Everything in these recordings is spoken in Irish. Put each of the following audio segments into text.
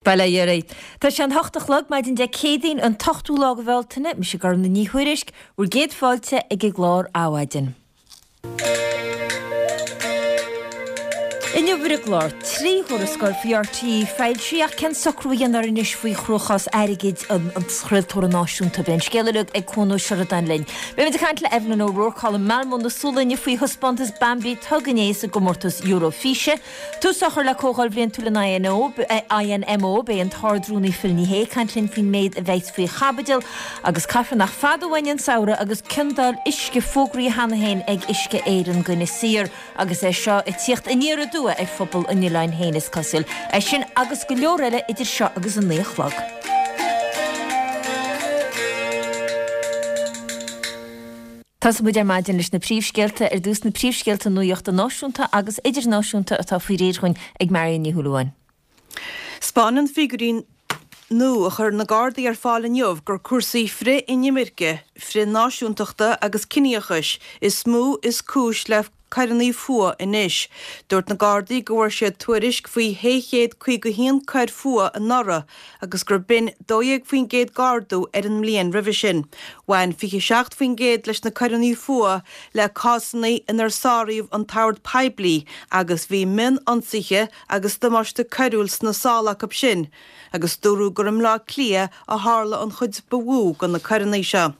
Bail ó Dhia oraibh. Tá sé an hocht a chlog, maidin Dé Céadaoin, an t-ochtú lá de Bhealtaine. Mise Gormfhlaith Ní Thuairisg, bhur gcéad fáilte ag an gclár Adhmhaidin. Inniu ar an gclár, 3 thuarascáil faoi RTÉ foilsithe ach cén socrú a dhéanfar anois faoi chruachás airgid an chraoltóra náisiúnta? Beidh an scéal uilig ag Cuan Ó Seireadáin linn. Beimid ag caint le Evelyn O'Rourke thall i Malmö na Sualainne faoi thaispeántas Bambi Thug inné sa gcomórtas Eurofíse. Tús á chur le Comhdháil Bhliantúil an INO, INMO, beidh an tArd-Rúnaí Phil Ní Sheaghdha ag caint linn faoin méid a bheas faoi chaibidil agus caithfear nach fada uainn an samhradh agus ciondáil uisce fógraithe cheana féin ag Uisce Éireann go Inis Oírr agus é seo ag tíocht aniar aduaidh ar phobal an oileáin féin is cosúil. É sin agus go leor eile idir seo agus a 9 a chlog. Tosóidh muid ar maidin leis na príomhscéalta. Ar dtús na príomhscéalta nuachta náisiúnta agus idirnáisiúnta atá faoi réir dhúinn ag Marion Ní Shúilleabháin. 'Spáineann figiúirí nua a chuir na Gardaí ar fáil inniu gur cúrsaí frith-inimirce, frith-náisiúntachta agus ciníochais is mó is cúis le coireanna fuatha anois. Dúirt na Gardaí go bhfuair siad tuairisc faoi 651 coir fuatha anuraidh agus gur b'in 12% d'ardú ar an mbliain roimhe sin. Bhain 27% leis na coireanna fuatha le cásanna inar sáraíodh an t-ord poiblí agus bhí mion-ionsaithe agus damáiste coiriúil sna sála acu sin agus dúradh gur i mBleá Cliath a tharla an chuid ba mhó de na coireanna seo.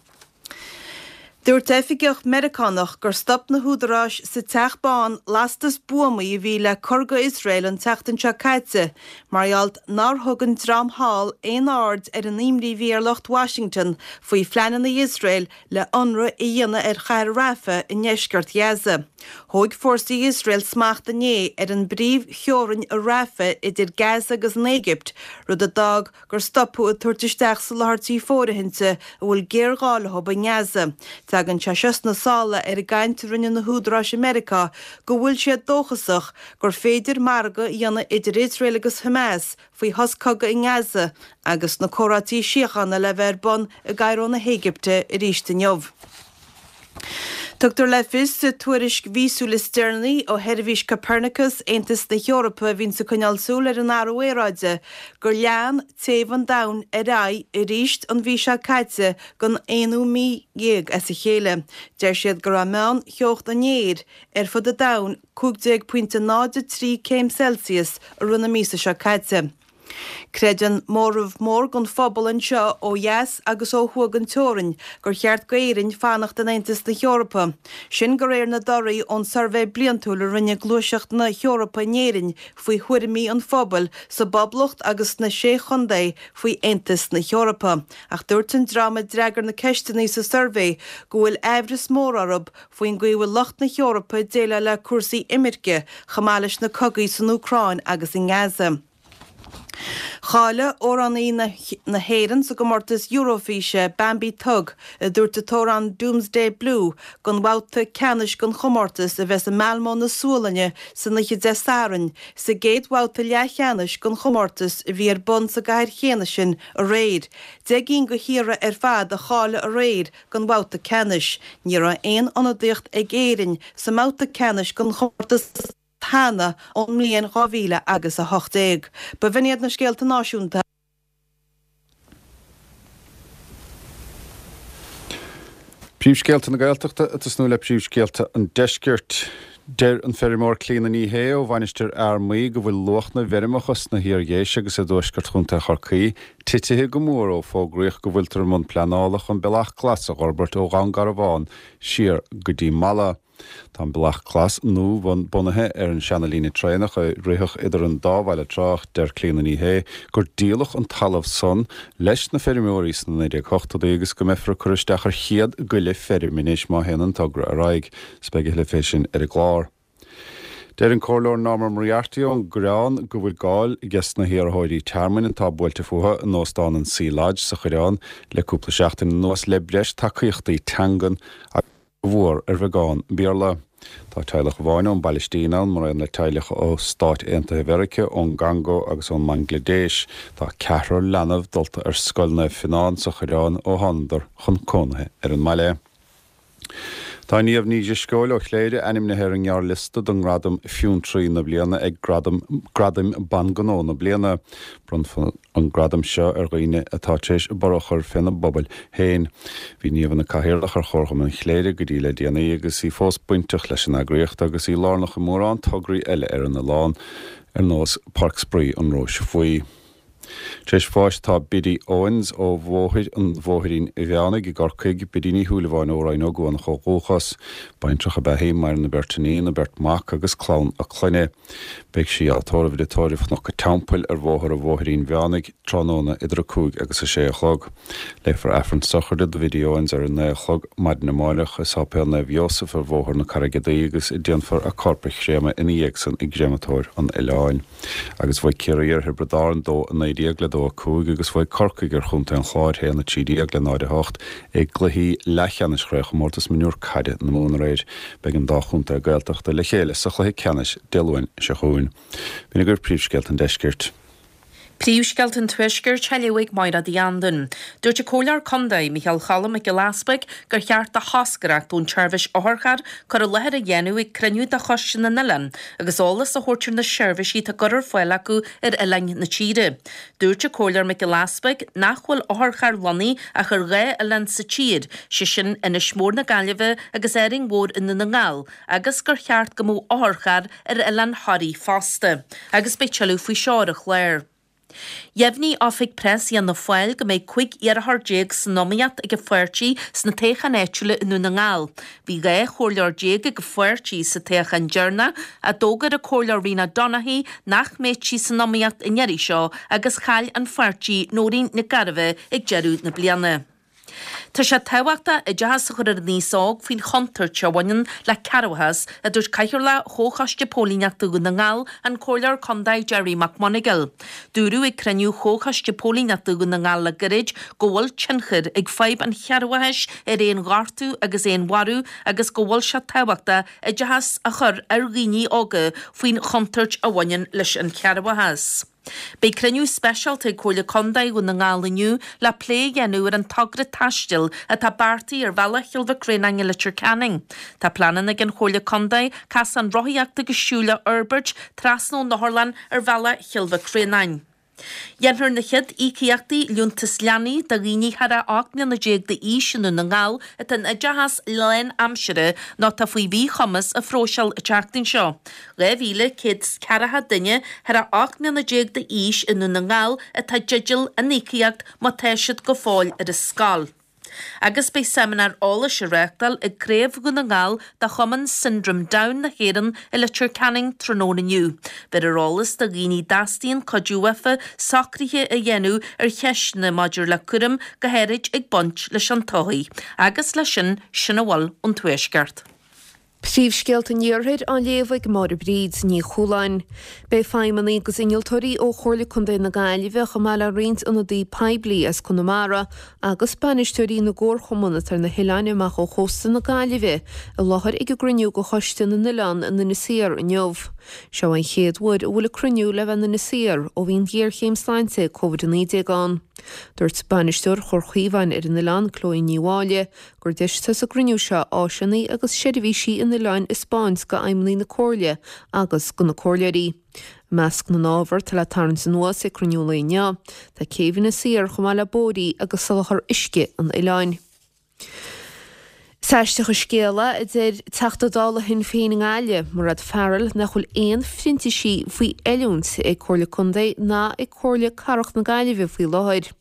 Dúirt oifigeach Meiriceánach gur stop na húdaráis sa Teach Bán lastas buamaí a bhí le cur go Iosrael an tseachtain seo caite mar gheall nár thug an dream thall aon aird ar an imní a bhí ar lucht Washington faoi phleananna Iosrael le ionradh a dhéanamh ar chathair Rafah i ndeisceart Ghaza. Thóg fórsaí Iosrael smacht inné ar an bpríomhtheorainn i Rafah idir Gaza agus an Éigipt, rud a d'fhág gur stopadh ag tabhairt isteach soláthairtí fóirithinte a bhfuil géarghá leo i nGaza. Tagann sé seo sna sála ar an gcaint a rinne na húdaráis i Meiriceá go bhfuil siad dóchasach gur féidir margadh a dhéanamh idir Iosrael agus Hamas faoi shos cogaidh i nGaza agus na comhráití síochána le bheith ar bun i gCairo na hÉigipte arís inniu. Tugtar le fios sa tuairisc mhíosúil is deireanaí ó sheirbhís Copernicus Aontas na hEorpa a bhíonns ag coinneáil súil ar an athrú aeráide gur lean téamh an domhain ar aghaidh arís an mhí seo caite don aonú mí dhéag as a chéile. Deir siad go raibh meán theocht an aeir ar fud an domhain 15.03 céim Celsius i rith na míosa seo caite. Creideann móramh mór den phobal anseo ó dheas agus ó thuaidh den teorainn gur cheart d'Éirinn fanacht in Aontas na hEorpa. Sin de réir na dtorthaí ón suirbhé bliantúil a rinne Gluaiseacht na hEorpa in Éirinn faoi thuairimí an phobail sa bPoblacht agus sna Sé Chontae faoi Aontas na hEorpa. Ach dúirt an dream a d'fhreagair na ceisteanna sa suirbhé go bhfuil aimhreas mór orthu faoin gcaoi a bhfuil lucht na hEorpa ag déileáil le cúrsaí imirce chomh maith leis na cogaí san Úcráin agus i nGaza. Cháiligh amhránaí na hÉireann sa gcomórtas Eurofíse, Bambi Thug, a dúirt a t-amhrán Doomsday Blue, don bhabhta ceannais den chomórtas a bheas i Malmö na Sualainne san oíche Dé Sathairn, sa gcéad bhabhta leathcheannais den chomórtas a bhí ar bun sa gcathair chéanna sin aréir. 10 gcinn de thíortha ar fad a cháiligh aréir don bhabhta ceannais. Ní raibh aon ionadaíocht ag Éirinn sa mbabhta ceannais den chomórtas cheana ón mbliain 2000 agus 18. B'in iad na scéalta náisiúnta. Príomhscéalta na Gaeltachta ag tosnú le príomhscéalta an Deiscirt. Deir an feirmeoir Clíona Ní Shé ó Mhainistir Fhear Maí go bhfuil luach na bhfeirmeacha sna hIar-Dhéise agus i dtuaisceart Chontae Chorcaí titithe go mór ó fógraíodh go bhfuiltear i mbun pleanála chun Bealach Glas a dh'fhorbairt ó Dhún Garbhán siar go dtí Mala. Tá an Bealach Glas nua bunaithe ar an seana-líne traenach a ritheadh idir an dá bhaile tráth ach deir Clíona Ní Shé gur díoladh an talamh san leis na feirmeoirí sna 1980idí agus go mbeifear ag cur isteach ar chéad goile feirme anois má théann an togra ar aghaidh. 'S beidh a thuilleadh fé sin ar an gclár. Deir an Comhairleoir Norma Moriarty ón gCoireán go bhfuil cáil ages na hiarrthóirí tearmainn atá buailte fúthu in Óstán an Sea Lodge sa Choireán le cúpla seachtain anuas le breis tacaíochtaí teangan agus mhór ar bheagán Béarla. Tá teaghlach amháin ón bPailistín ann, mar aon le teaghlach ó Stáit Aontaithe Mheiriceá, ón gCongó agus ón mBanglaidéis. Tá ceathrar leanbh dulta ar Scoil Naomh Fionán sa Choireán ó thánadar chun cónaithe ar an mbaile. Tá Niamh Ní Drisceoil ó Chléire ainmnithe ar an ngearrliosta don ngradam Fiontraí na Bliana ag Gradaim Ban Gnó na Bliana. Bronnfar an gradam seo ar dhaoine atá tar éis borradh a chur féna bpobail féin. Bhí Niamh ina cathaoirleach ar Chomharchumann Chléire go dtí le déanaí agus í fós bainteach leis an eagraíocht agus í lárnach i mórán tograí eile ar an oileán ar nós Páirc Spraoi an Róis Bhuí. Tar éis bháis tá Biddy Owens ó Bhóthar an Bhóithrín Mheánaigh i gCorcaigh, Biddy Ní Shúilleabháin ó Rinn Ó gCuanach ó dhúchas. Baintreach ab ea í, maireann a beirt iníon, a beirt mhac agus clann a clainne. Beidh sí á tórramh i dtórramh Chnoc an Teampaill ar Bhóthar an Bhóithrín Mheánaigh tráthnóna idir 5 agus 6 a chlog. Léifear Aifreann sochraide do Bhiddy Owens ar a 9 a chlog maidin amárach i Sáipéal Naomh Iósaf ar Bhóthar na Carraige Duí agus déanfar a corp a chréamadh ina dhiaidh san i gcréamatóir an oileáin. Agus bhuaigh Ciarraí ar Thiobraid Árann 2, 19 le 2, 5 agus bhuaigh Corcaigh ar Chontae an Chláir 1, 13 le 0, 8 i gcluichí leathcheannais Chraobhchomórtas Mionúr Caide na Mumhan aréir. Beidh an dá chontae Gaeltachta le chéile sa chluiche ceannais Dé Luain seo chugainn. B'in agaibh príomhscéalta an deiscirt. Príomhscéalta an Tuaiscirt á léamh ag Máire Uí Anluain. Dúirt an Comhairleoir Contae, Micheál Cholm Mac Giolla Easpaig, gur cheart do thoscaireacht ón tseirbhís otharcharr cur i láthair a dhéanamh ag cruinniú de Choiste na nOileán agus eolas a thabhairt ar na seirbhísí atá á gcur ar fáil acu ar oileáin na tíre. Dúirt an Comhairleoir Mac Giolla Easpaig nach bhfuil otharcharr lonnaithe ach ar dhá oileán sa tír, sé sin Inis Mór na Gaillimhe agus Árainn Mhór i nDún na nGall, agus gur cheart go mbeadh otharcharr ar oileán Thoraí fosta, agus beidh tuilleadh faoi seo ar an chlár. Dheimhnigh Oifig Preas Fhianna Fáil go mbeidh 15 iarrthóir san iomaíocht ag an pháirtí sna toghcháin áitiúla i nDún na nGall. Bhí 12 chomhairleoir ag an pháirtí sa toghchán deireanach ach d'fhógair an Comhairleoir Rena Donaghey nach mbeadh sí san iomaíocht an iarraidh seo agus chaill an pháirtí Nóirín Nic Gairbheith ag deireadh na bliana. Tá sé tábhachtach oideachas a chur ar an aos óg faoin chontúirt a bhaineann le cearrbhachas, a dúirt Cathaoirleach Chomhchoiste Póilíneachta Dhún na nGall, an Comhairleoir Contae Gerry McMonagail. Dúradh ag cruinniú Chomhchoiste Póilíneachta Dhún na nGall le gairid go bhfuil tionchar ag fadhb an chearrbhachais ar aon ghortú agus aon mharú agus go bhfuil sé tábhachtach oideachas a chur ar dhaoine óga faoin chontúirt a bhaineann leis an chearrbhachas. Beidh cruinniú speisialta ag Comhairle Contae Dhún na nGall inniu le plé a dhéanamh ar an togra taistil atá beartaithe ar bhealach Chill Mhic Réanáin i Leitir Ceanainn. Tá pleananna ag an Chomhairle Contae casán rothaíochta agus siúil a fhorbairt trasna ón otharlann ar bhealach Chill Mhic Réanáin. Dhéanfar na chéad íocaíochtaí Liúntas Leanaí do dhaoine thar a 18 mbliana d'aois i nDún na nGall atá in oideachas lánaimseartha nó atá faoi mhíchumas a phróiseáil an tseachtain seo. 2,140 duine thar a 18 mbliana d'aois i nDún na nGall atá i dteideal an íocaíocht má tá siad go fóill ar an scoil. Agus beidh seimineár eolais á reáchtáil ag Craobh Dhún na nGall de Chumann Syndrome Down na hÉireann i Leitir Ceanainn tráthnóna inniu. Bhéarfar eolas do dhaoine a dteastaíonn cuidiú uafa socruithe a dhéanamh ar cheisteanna maidir le cúram go háirid ag baint leis an todhchaí. Agus leis sin, sin a bhfuil ón Tuaisceart. Príomhscéalta an Iarthair á léamh ag Máire Bríd Ní Chualáin. Beidh feidhmeannaigh agus innealtóirí ó Chomhairle Contae na Gaillimhe chomh maith le roinnt ionadaí poiblí as Conamara agus bainisteoirí na gcomharchumann atá ar na hoileáin amach ó chósta na Gaillimhe i láthair ag an gcruinniú de Choiste na nOileán in Inis Oírr inniu. Seo an chéad uair a bhfuil an cruinniú le bheith in Inis Oírr ó bhí an ghéarchéim sláinte Covid-19 ann. Dúirt bainisteoir Chomhar Chaomháin ar an oileán, Chloe Ní Mháille, gur deis atá sa gcruinniú seo áiseanna agus seirbhísí an oileáin a 'spáint go fheidhmeannaigh na Comhairle agus go na comhairleoirí. I measc na n-ábhar atá le tarraingt anuas ag cruinniú an lae inniu, tá céibh Inis Oírr chomh maith le bóithrí agus soláthar uisce an oileáin. Is aisteach an scéal é, a deir Teachta Dála Shinn Féin i nGaillimh, Mairéad Farrell, nach bhfuil aon phrintísigh faoi oiliúint ag Comhairle Contae ná ag Comhairle Cathrach na Gaillimhe faoi láthair.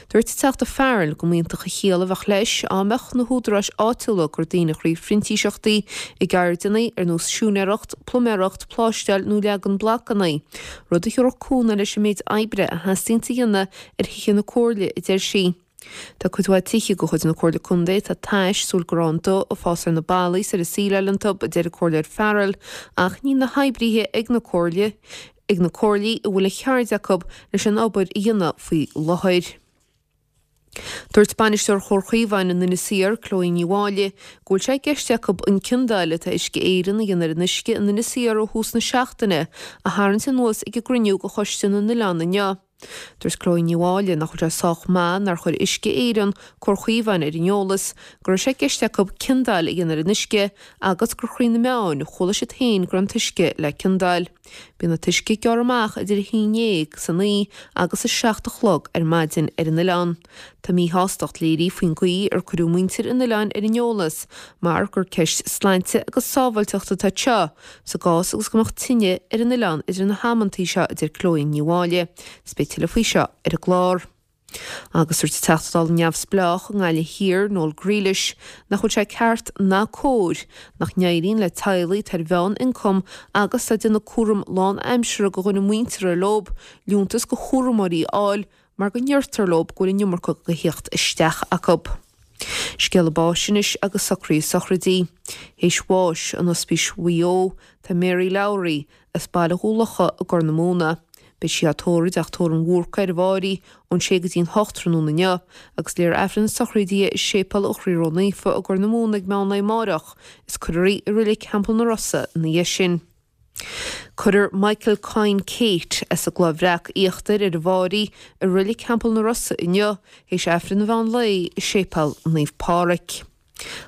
Dúirt an Teachta Farrell go mb'iontach an chiall a bheadh leis á mbeadh na húdaráis áitiúla ag cur daoine thrí phrintíseachtaí i gceirdeanna ar nós siúinéireacht, pluiméireacht, pláisteáil nó leagan blocanna, rud a thabharfadh cúnamh leis an méid oibre a theastaíonns a dhéanamh ar thithe na Comhairle, a deir sí. Tá cuid mhaith tithe de chuid na Comhairle Contae atá tais súil go raibh an dubh ag fás ar na ballaí is ar an síleáil iontu, a deir an Comhairleoir Farrell, ach níl na hoibrithe ag na Comhairle ag na comhairlí a bhfuil an cheird acu leis an obair a dhéanamh faoi láthair. Dúirt bainisteoir Chomhar Chaomháin in Inis Oírr, Chloe Ní Mháille, go bhfuil sé i gceist acu an ciondáil atá Uisce Éireann a dhéanamh ar an uisce in Inis Oírr ó thús na seachtaine a tharraingt anuas ag an gcruinniú de Choiste na nOileán inniu. Dúirt Chloe Ní Mháille nach bhfuil sé sách maith nár chuir Uisce Éireann Cór Chaomháin ar an eolas go raibh sé i gceist acu ciondáil a dhéanamh ar an uisce agus gur thrí na meáin a chuala siad féin go raibh an t-uisce le ciondáil. Bíonn an t-uisce ag gearradh amach idir a haon dhéag san oíche agus a 7 a chlog ar maidin ar an oileán. Tá míshástacht léirithe faoin gcaoi ar cuireadh muintir an oileáin ar an eolas mar gur ceist sláinte agus sábháilteachta atá anseo sa gcás agus go mbeadh tine ar an oileán idir na hamantaí seo, a deir Chloe Ní Mháille. Is beidh tuilleadh faoi seo ar an gclár. Agus dúirt an Teachta Dála neamhspleách i nGaillimh Thiar, Noel Grealish, nach bhfuil sé ceart ná cóir nach n-éiríonn le teaghlaigh atá ar mheán-ioncam agus atá ag déanamh cúram lán-aimseartha do dhuine muinteartha leo liúntas do chúramóirí a fháil mar go ndeirtear leo go bhfuil an iomarca de thíocht isteach acu. Scéala báis anois agus socruithe sochraidí. Théis bháis in Ospís Mhaigh Eo tá Mary Lowry, as Baile Dhún Locha i gCorr na Móna. Beidh sí á tórramh i dTeach Tórraimh an Bhúrcaigh ar an bhFáirí ón sé go dtí'n hocht tráthnóna inniu agus léifear Aifreann na sochraide di i Séipéal an Chroí Ró-Naofa i gCorr na Móna ag meán lae amáireach is cuirfear í i Reilig Theampall na Rosa ina dhiaidh sin. Cuirfear Michael Coyne Kate as an gCloich Bhreac Íochtair ar an bhFáirí i Reilig Theampall na Rosa inniu théis Aifreann an mheán lae i Séipéal Naomh Páraic.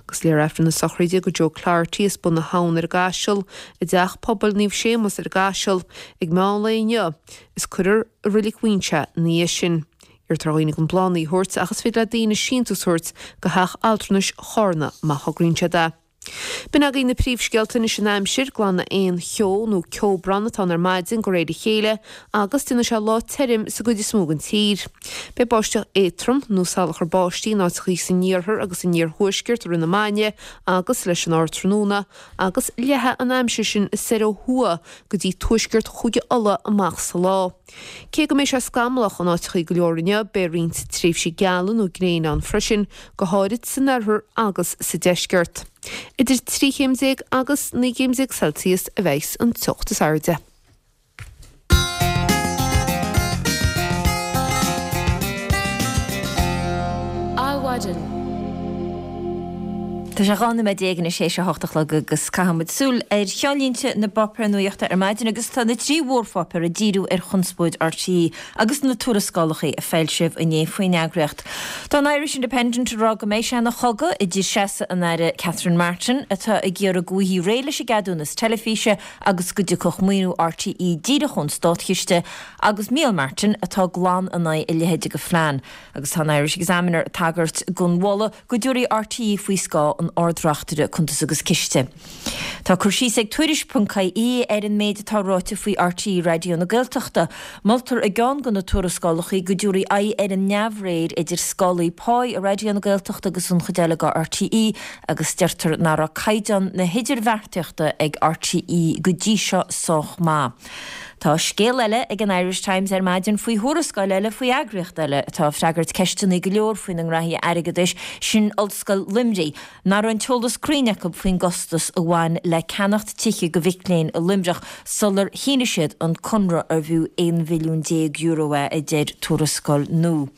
Agus léifear Aifreann na sochraide do Joe Cloherty as Bun na hAbhann ar an gCaiseal i dTeach Pobail Naomh Séamus ar an gCaiseal ag meán lae inniu is cuirfear i Reilig Mhuinseo é ina dhiaidh sin. Iarrtar ar dhaoine gan bláthanna a thabhairt ach is féidir le daoine síntiús a thabhairt go Theach Altranais Chárna má thograíonn siad é. B'in agaibh na príomhscéalta anois an aimsir, glanfaidh aon cheo nó ceobhrán atá ann ar maidin de réir a chéile agus déanfaidh sé lá tirim sa gcuid is mó den tír. Beidh báisteach éadtrom nó salachar báistí in áiteachaí san iarthar agus san iarthuaisceart i rith na maidne agus leis an ardtráthnóna agus leathfaidh an aimsir sin soir ó thuaidh go dtí tuaisceart Chúige Uladh amach sa lá. Cé go mbeidh sé scamallach in áiteachaí go leor inniu, beidh roinnt tréimhsí geala nó gréine ann freisin, go háirid san oirthear agus sa deisceart. Idir 13 chéim agus 19 gcéim Celsius a bheidhs an teocht is airde. Adhmhaidin. Tá sé 12 nóiméad anois théis a hocht a chlog agus caithfidh muid súil ar cheannlínte na bpáipéar nuachta ar maidin agus tá na trí mhórpháipéar ag díriú ar chonspóid RTÉ agus na tuarascálacha a foilsíodh inné faoin eagraíocht. Tá an Irish Independent ag rá go mbeidh sé ina chogadh idir seasamh an Aire Catherine Martin atá ag iarraidh go bhfaighfí réidh leis an gceadúnas teilifíse agus go dtiocfadh maoiniú RTÉ díreach ón státchiste agus Micheál Martin atá glan in aghaidh a leithéide de phlean. Agus tá an Irish Examiner ag tagairt don mholadh go dtabharfaí RTÉ faoi scáth an Ard-Reachtaire Cuntas agus Ciste. Tá cur síos ag Tuairisc.ie ar an méid atá ráite faoi RTÉ Raidió na Gaeltachta. Moltar i gceann de na tuarascálacha go dtabharfaí aghaidh ar an neamhréir idir scálaí páí i Raidió na Gaeltachta agus an chuid eile de RTÉ agus deirtear nach raibh caighdeán na hidirbheartaíochta ag RTÉ go dtí seo sách maith. Tá scéal eile ag an Irish Times ar maidin faoi thuarascáil eile faoi eagraíocht eile atá ag freagairt ceisteanna go leor faoina ngraithí airgeadais, sin Ollscoil Luimnigh, nach raibh an t-eolas cruinn acu faoin gcostas a bhain le ceannacht tithe do mhic léinn i Luimneach sular shínigh siad an conradh arbh fhiú €11 mhilliún é, a deir tuarascáil nua.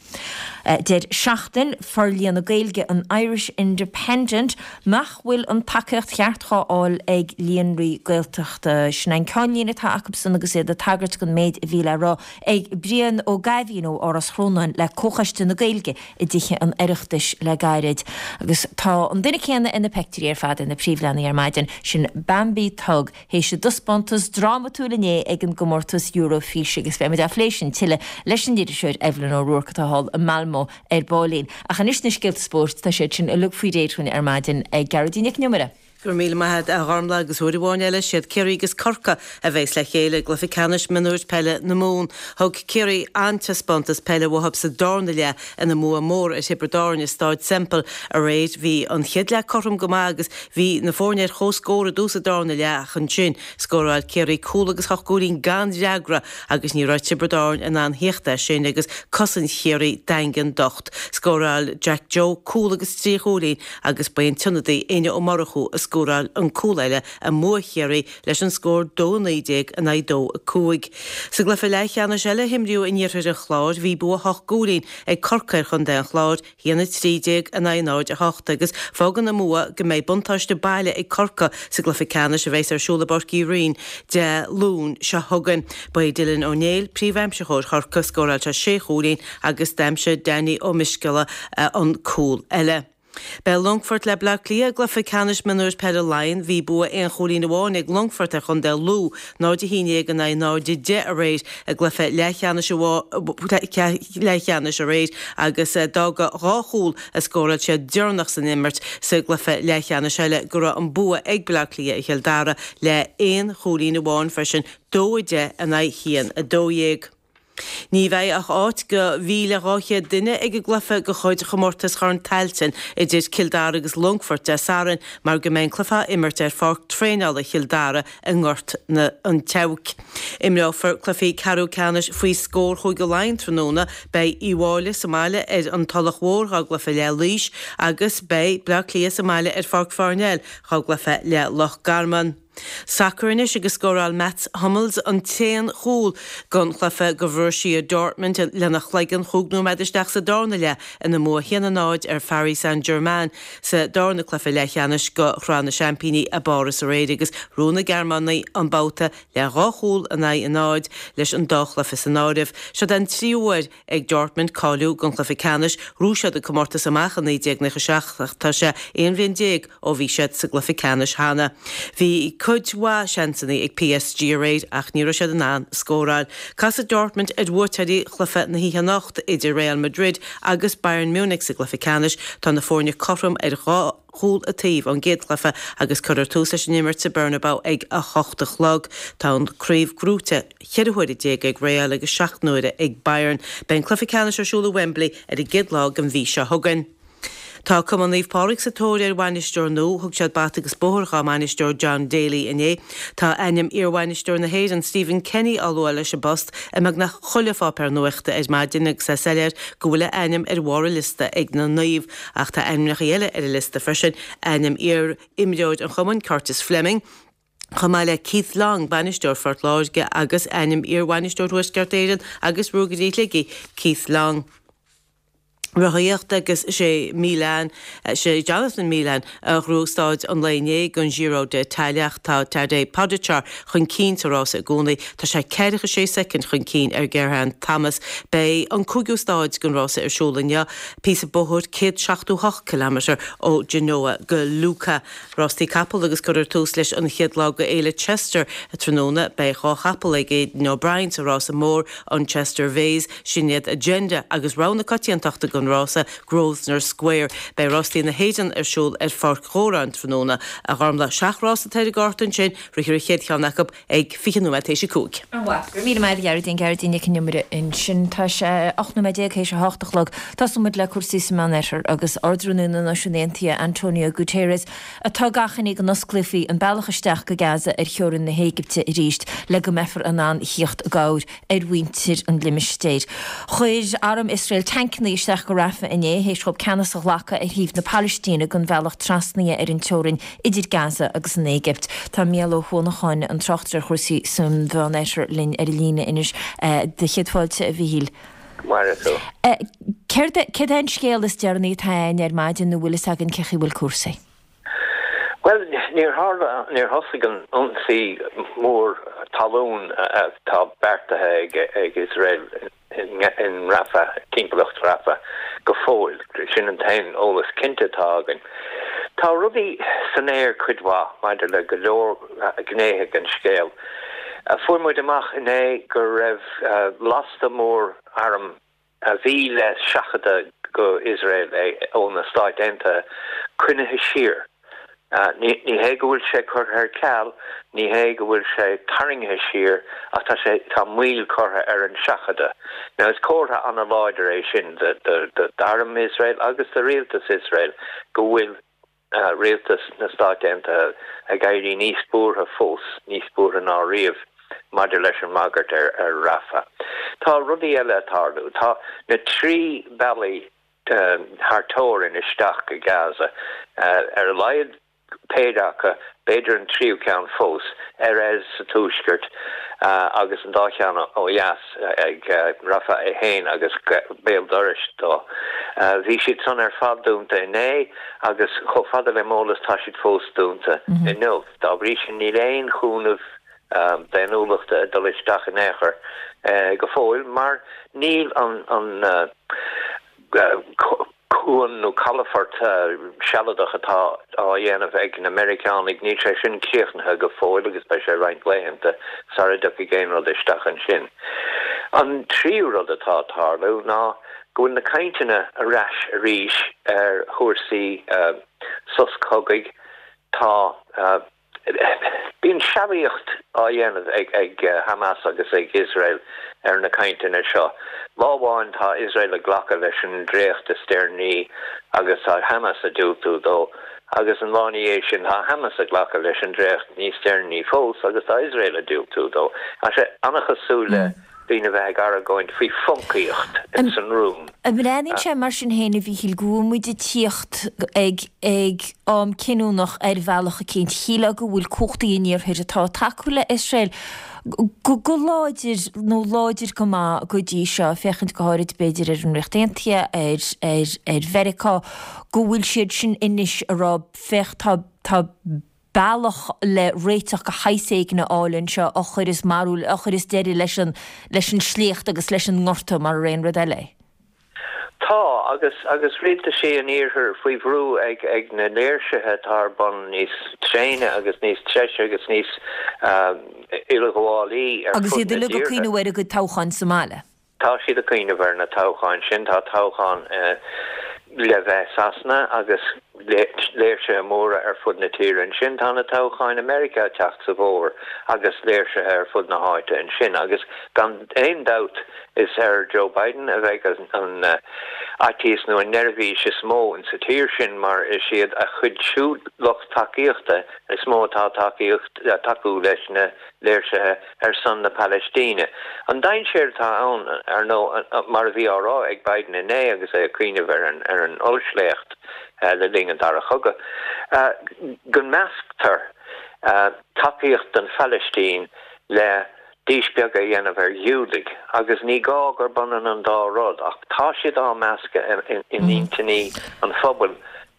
Deir Seachtain Forlíonadh Gaeilge an Irish Independent nach bhfuil an tacaíocht cheart dhá fháil ag líonraí Gaeltachta. Sin an ceannlíne atá acusan agus iad ag tagairt don méid a bhí le rá ag Brian Ó Gaibhín ó Áras Chrónáin le Comhchoiste na Gaeilge i dTithe an Oireachtais le gairid. Agus tá an duine céanna ar na peictiúirí ar fad ar na príomhleathanaigh ar maidin, sin Bambi Thug. Théis a dtaispeántas drámatúil inné ag an gcomórtas Eurofís agus beidh muid á phlé sin tuilleadh leis an iriseoir Evelyn O'Rourke atá thall i Malmö ar baillín. Ach anois na scéalta spóirt, tá siad sin uilig faoi réir dhúinn ar maidin ag Gearóidín Nic an Iomaire. Go raibh míle maith agat a Ghormlaith agus uair amháin eile siad Ciarraí agus Corcaigh a bheas le chéile i gcluiche ceannais mionúir peile na Mumhan. Thug Ciarraí an-taispeántas peile uathu sa darna leath ina mbua mór ar Thiobraid Árann i Stáid Semple aréir. Bhí an chéad leath cothrom go maith agus Bhí na foirne ar comhscór i dtús an darna leath ach ansin scóráil Ciarraí cúl agus ocht gcúilín gan fhreagra agus ní raibh Tiobraid Árann in ann theacht as sin agus cosaint Chiarraí daingean docht. Scóráil Jack Joe cúl agus trí chúilín agus ba é an t-ionadaí Éanna Ó Murchú a. scóráil an cúl eile i mbua Chiarraí leis an scór 2 19 in aghaidh 2 5. Sa gcluiche leathcheannais eile a himríodh in iarthar an Chláir bhí bua hocht gcúilín ag Corcaigh ar chontae an Chláir, 1 13 in aghaidh 0 8, agus fágann an bua go mbeidh buntáiste baile ag Corcaigh sa gcluiche ceannais a bheas ar siúl i bPáirc Uí Rinn Dé Luain seo chugainn. Ba é Dylan Ó Néill príomhaimsitheoir Chorcaí, scóráil sé sé chúilín agus d'aimsigh Danny Ó Misceala an cúl eile. Beidh Longfort le Bleá Cliath i gcluiche ceannais mionúir peile Laighean. Bhí bua aon chúilín amháin ag Longfort ar chontae Lú, 0 11 in aghaidh 0 10 aréir i gcluiche leathcheannais leathcheannais aréir agus d'fhág dhá chúl a scóráil siad deireanach san imirt sa gcluiche leathcheannais eile go raibh an bua ag Bleá Cliath ar Chill Dara le aon chúilín amháin freisin, 2 10 in aghaidh 1 12. Ní bheidh ach áit do 1,200 duine ag an gcluiche de chuid Chomórtas Chorn Tailteann idir Cill Dara agus Longfort Dé Sathairn mar go mbeidh an cluiche á imirt ar pháirc traenála Chill Dara i nGort an tSeabhaic. Imreofar cluichí ceathrú ceannais faoi scór Chúige Laighean tráthnóna. Beidh Uíbh Fhailí sa mbaile ar an Tulach Mhór dhá gcluiche le Laois agus beidh Bleá Cliath sa mbaile ar Pháirc Pharnell dhá gcluiche le Loch Garman. Sacar anois agus scóráil Mats Hummels an t-aon chúl den chluiche do Bhorussia Dortmund lena chloigeann chúig nóiméad isteach sa darna leath ina mbua 1-0 ar Pharis Saint-Germain sa darna cluiche leathcheannais de Shraith na Seaimpíní i bPáras aréir agus ghnóthaigh na Gearmánaigh an babhta le dhá chúl in aghaidh a náid leis an dá chluiche san áireamh. Seo den tríú huair ag Dortmund cáiliú don chluiche ceannais. Ghnóthaigh siad an comórtas amach i 1997 ach tá sé 11 bhliain ó bhí siad sa gcluiche ceannais cheana. Bhí cuid mhaith seansanna ag PSG aréir ach ní raibh siad in ann scóráil. Casfaidh Dortmund ar bhuaiteoirí chluiche na hoíche anocht idir Real Madrid agus Bayern Munich sa gcluiche ceannais. Tá na foirne cothrom ar dhá chúl an taobh ón gcéad chluiche agus cuirfear tús leis an imirt sa Bernabeu ag 8 a chlog. Tá an craobh gnóite 14 huaire ag Real agus 7 n-uaire ag Bayern. Beidh an cluiche ceannais ar siúl i Wembley ar an gcéad lá den mhí seo chugainn. Tá Cumann Naomh Pádraig sa tóir ar bhainisteoir nua. Thug siad bata agus bóthar dhá mbainisteoir John Daly inné. Tá ainm iarbhainisteoir na hÉireann Stephen Kenny á lua leis an bpost i mbeagnach chuile pháipéar nuachta ar maidin agus é soiléir go bhfuil a ainm ar bharr an liosta ag na Naoimh. Ach tá ainmneacha eile ar an liosta freisin, ainm iar-imreoir an chumainn, Curtis Fleming, chomh maith le Keith Long, bainisteoir Phort Láirge, agus ainm iar-bhainisteoir Thuaisceart Éireann agus Ruagairí Shligigh, Keith Long. Rothaíocht agus sé Milan, sé Jonathan Milan a ghnóthaigh staid an lae inné den Giro d'Italia ach tá Tadej Pogačar chun cinn sa rása i gcónaí. Tá sé 46 soicind chun cinn ar Geraint Thomas. Beidh an cúigiú staid den rása ar siúl inniu. Píosa bóthair 178 kilometre ó Genoa go Lucca. Rástaí capall agus cuirfear tús leis an chéad lá de Fhéile Chester tráthnóna. Beidh dhá chapall ag Aidan O'Brien sa rása mór, an Chester Vase, sin iad Agenda agus rogha na coitiantachta don rása, Grosvenor Square. Beidh rástaí na hÉireann ar siúl ar Pháirc Dhóráin tráthnóna. A Ghormlaith, seacht rás atá ar an gcárta ansin, rithfear an chéad cheann acu ag 20 nóiméad théis a 5. Go raibh míle maith agat a Ghearóidín, Gearóidín Nic an Iomaire ansin. Tá sé 18 nóiméad théis a hocht a chlog. Tosóidh muid le cúrsaí sa Meánoirthear agus Ard-Rúnaí na Náisiún Aontaithe, Antonio Guterres, atá ag achainí go n-osclófaí an bealach isteach go Gaza ar theorainn na hÉigipte arís le go mbeifear in ann thíocht i gcabhair ar mhuintir an limistéir. Chuir arm Iosrael tancanna isteach go Rafah inné théis dhóibh ceannas a ghlacadh ar thaobh na Palaistíne den bhealach trasnaithe ar an teorainn idir Gaza agus an Éigipt. Tá Mícheál Ó hUanacháin, an tráchtaire ar chúrsaí san Mheánoirthear linn ar an líne anois. Do chéad fáilte, a Mhíchíl. Maire thú. Céard é an scéal is deireanaí atá againn ar maidin nó bhfuil fhios againn cé chaoi bhfuil cúrsaí? Bhuel, níor tharla, níor thosaigh an ionsaí mór talún atá beartaithe ag Iosrael in Rafah, timpeallacht Rafah, go fóill. Sin an t-aon eolas cinnte atá againn. Tá rudaí san aer cuid mhaith maidir le go leor gnéithe den scéal. Fuair muid amach inné go raibh lasta mór arm a bhí le seachadadh go Iosrael ó na Stáit Aontaithe coinnithe siar. Ní hé go bhfuil sé curtha ar ceal, ní hé go bhfuil sé tarraingthe siar ach tá sé, tá moill curtha ar an seachadadh. Now is comhartha an-láidir é sin d'arm Iosrael agus do rialtas Iosrael go bhfuil rialtas na Stát Aontaithe ag éirí níos buartha fós, níos buartha ná riamh maidir leis an mbagairt ar Rafah. Tá rudaí eile ag tarlú. Tá na trí bealaí thar teorainn isteach go Gaza, ar a laghad. Péire acu, b'fhéidir an tríú ceann fós, Erez sa tuaisceart agus an dá cheann ó dheas ag Rafah é féin agus béal dorais dó. Bhí siad san ar fad dúnta inné agus chomh fada le m'eolas tá siad fós dúnta inniu. Dá bhrí sin níl aon chúnamh daonnúlachta ag dul isteach in aon chor go fóill mar níl an cuan nó calafort sealadach atá á dhéanamh ag na Meiriceánaigh, níl sé sin críochnaithe go fóill agus beidh sé roinnt laethanta sara dtiocfaidh aon rud isteach ansin. An tríú rud atá ag tarlú ná go bhfuil na cainteanna ar ais arís ar chúrsaí sos cogaidh. Tá. Bíonn sealaíocht á dhéanamh ag Hamas agus ag Iosrael ar na cainteanna seo. Lá amháin tá Iosrael ag glacadh leis an dréacht is deireanaí agus tá Hamas ag diúltú dó agus an lá ina dhiaidh sin tá Hamas ag glacadh leis an dréacht níos deireanaí fós agus tá Iosrael ag diúltú dó. Tá sé an-chosúil le daoine a bheith ag argóint faoi phoncaíocht ins an rúm. An mbreathnaíonn sé mar sin féin, a Mhíchíl, go bhfuil muid ag tíocht ag ag am cinniúnach ar bhealach eicínt? Shílfeá go bhfuil cumhachtaí an Iarthair atá ag tacú le Iosrael go go láidir nó láidir go maith go dtí seo, féachaint go háirid b'fhéidir ar an Ríocht Aontaithe, ar ar ar Mheiriceá, go bhfuil siad sin anois ag rá féach tá tá bealach le réiteach de shaghas éigin a fháil anseo a chuireas marú, a chuireas deireadh leis an, leis an sléacht agus leis an ngorta mar aon rud eile é. Tá, agus, agus rialtaisí an Iarthair faoi bhrú ag, ag na léirsithe atá ar bun níos tréine agus níos treise agus níos uileghabhálaí ar Agus fud iad na uilig ag dtíortha. cuimhneamh ar a gcuid toghcháin sa mbaile. Tá siad ag cuimhneamh ar na toghcháin sin. Tá toghchán le bheith i Sasana agus léirsithe móra ar fud na tíre ansin. Tá na toghcháin i Meiriceá ag teacht sa bhfómhar agus léirsithe ar fud na háite ansin. Agus gan aon dabht is ar Joe Biden a bheidh an fhaitíos nó an neirbhís is mó insa tír sin mar is iad a chuid siúd lucht tacaíochta is mó atá ag tacú leis na léirsithe ar son na Palaistíne. An dainséar atá ann, ar ndóigh, mar a bhí á rá ag Biden inné agus é ag cuimhneamh ar an ollsléacht le linn an Dara Chogadh, go measctar tacaíocht don Phalaistín le díspeagadh a dhéanamh ar Ghiúdaigh, agus ní gá gurb ionann an dá rud, ach tá siad á meascadh in intinní an phobail.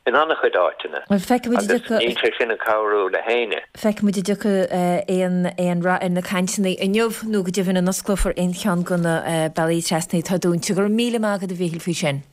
in an-chuid áiteanna, agus níl sé sin ag cabhrú le héinne. Feicfidh muid an dtiocfaidh aon aon rath ar na cainteanna inniu nó go deimhin an osclófar aon cheann de na bealaí trasna atá dúnta. Go raibh míle maith agat a Mhíchíl faoi sin.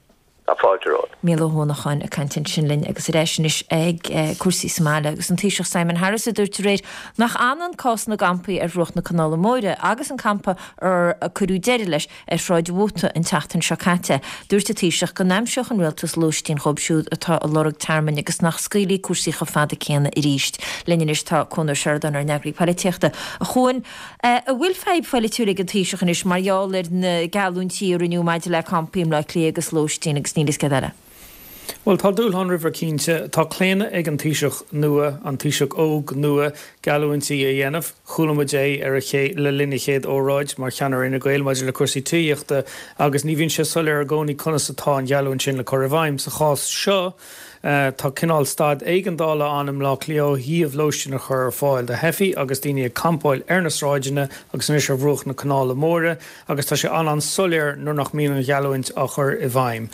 Tá fáilte romhat. Mícheál Ó hUanacháin ag caint ansin linn agus ar ais anois ag cúrsaí sa mbaile agus an Taoiseach Simon Harris a dúirt aréir nach ionann cás na gcampaí ar bhruach na Canála Móire agus an campa ar cuireadh deireadh leis Ar Shráid an Mhóta an tseachtain seo caite, dúirt an Taoiseach go n-aimseodh an Rialtas lóistín dhóibh siúd atá ag lorg tearmainn agus nach scaoilfí cúrsaí chomh fada céanna arís. Linn anois tá Cuan Ó Seireadáin, ár n-eagraí poilitíochta. A Chuain, an bhfuil fadhb pholaitiúil ag an Taoiseach anois mar gheall ar na geallúintí a rinneadh maidir le campaí i mBleá Cliath agus lóistín agus níl a fhios céard eile? Bhuel, tá dúshlán roimhe cinnte. Tá claonadh ag an Taoiseach nua, an Taoiseach óg nua, geallúintí a dhéanamh. Chuala muid é ar a le linn a chéad óráid mar cheannaire Fhine Gael maidir le cúrsaí tithíochta agus ní bhíonn sé soiléir i gcónaí conas atá an gheallúint sin le cur i bhfeidhm. Sa chás seo, tá cineál staid éigeandála ann i mBleá Cliath ó thaobh lóistín a chur ar fáil do theifigh agus daoine ag campáil ar na sráideanna agus anois ar bhruach na Canála Móire. agus tá sé an-an-soiléir nuair nach mbíonn an gheallúint á chur i bhfeidhm.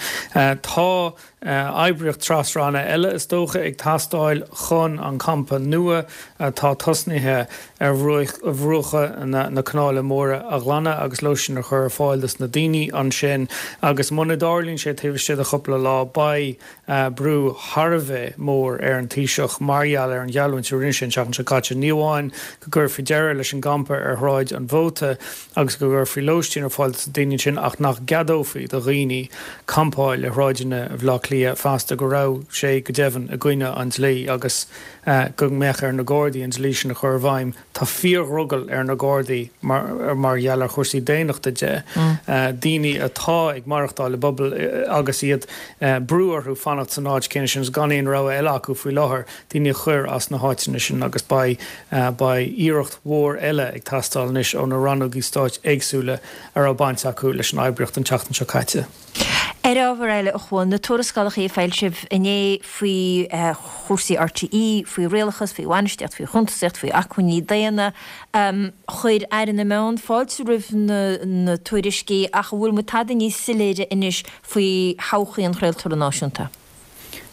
Tá oibríocht tras-ranna eile, is dócha, ag teastáil chun an campa nua atá tosnaithe ar bhruacha na Canála Móire a ghlanadh agus lóistín a chur ar fáil dos na daoine ansin agus muna dtarlaíonn sé taobh istigh de chúpla lá beidh brú thar a bheith mór ar an Taoiseach mar gheall ar an gheallúint a rinne sé an tseachtain seo caite, ní amháin go gcuirfí deireadh leis an gcampa ar Shráid an Mhóta agus go gcuirfí lóistín ar fáil dos na daoine ansin ach nach gceadófaí do dhaoine campáil ar shráideanna Bhaile Átha Cliath feasta, go raibh sé go deimhin i gcoinne an dlí agus go mbeadh ar na Gardaí an dlí sin a chur i bhfeidhm. Tá fíordhrogall ar na Gardaí mar gheall ar chúrsaí daonnachta de, daoine atá ag maireachtáil i bpubaill agus iad brú orthu fanacht san áit chéanna sin agus gan aon rogha eile acu faoi láthair, daoine a chur as na háiteanna sin agus beidh beidh iarracht mhór eile ag teastáil anois ó na rannógaí stáit éagsúla a raibh baint acu leis an oibríocht an tseachtain seo caite. Ar ábhar eile, a Chuain, na tuarascálacha a foilsíodh inné faoi chúrsaí RTÉ, faoi rialachas, faoi bhainistíocht, faoi chuntasaíocht, faoi acmhainní daonna, chuir Aire na Meán fáilte roimh na tuairiscí ach an bhfuil muid tada níos soiléire anois faoi thodhchaí an chraoltóra náisiúnta?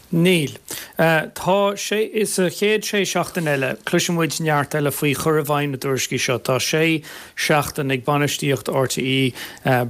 Níl. Tá sé, sa chéad sé seachtain eile, cloisfidh muid neart eile faoi chur i bhfeidhm na dtuairiscí seo. Tá sé sheachtain ag bainistíocht RTÉ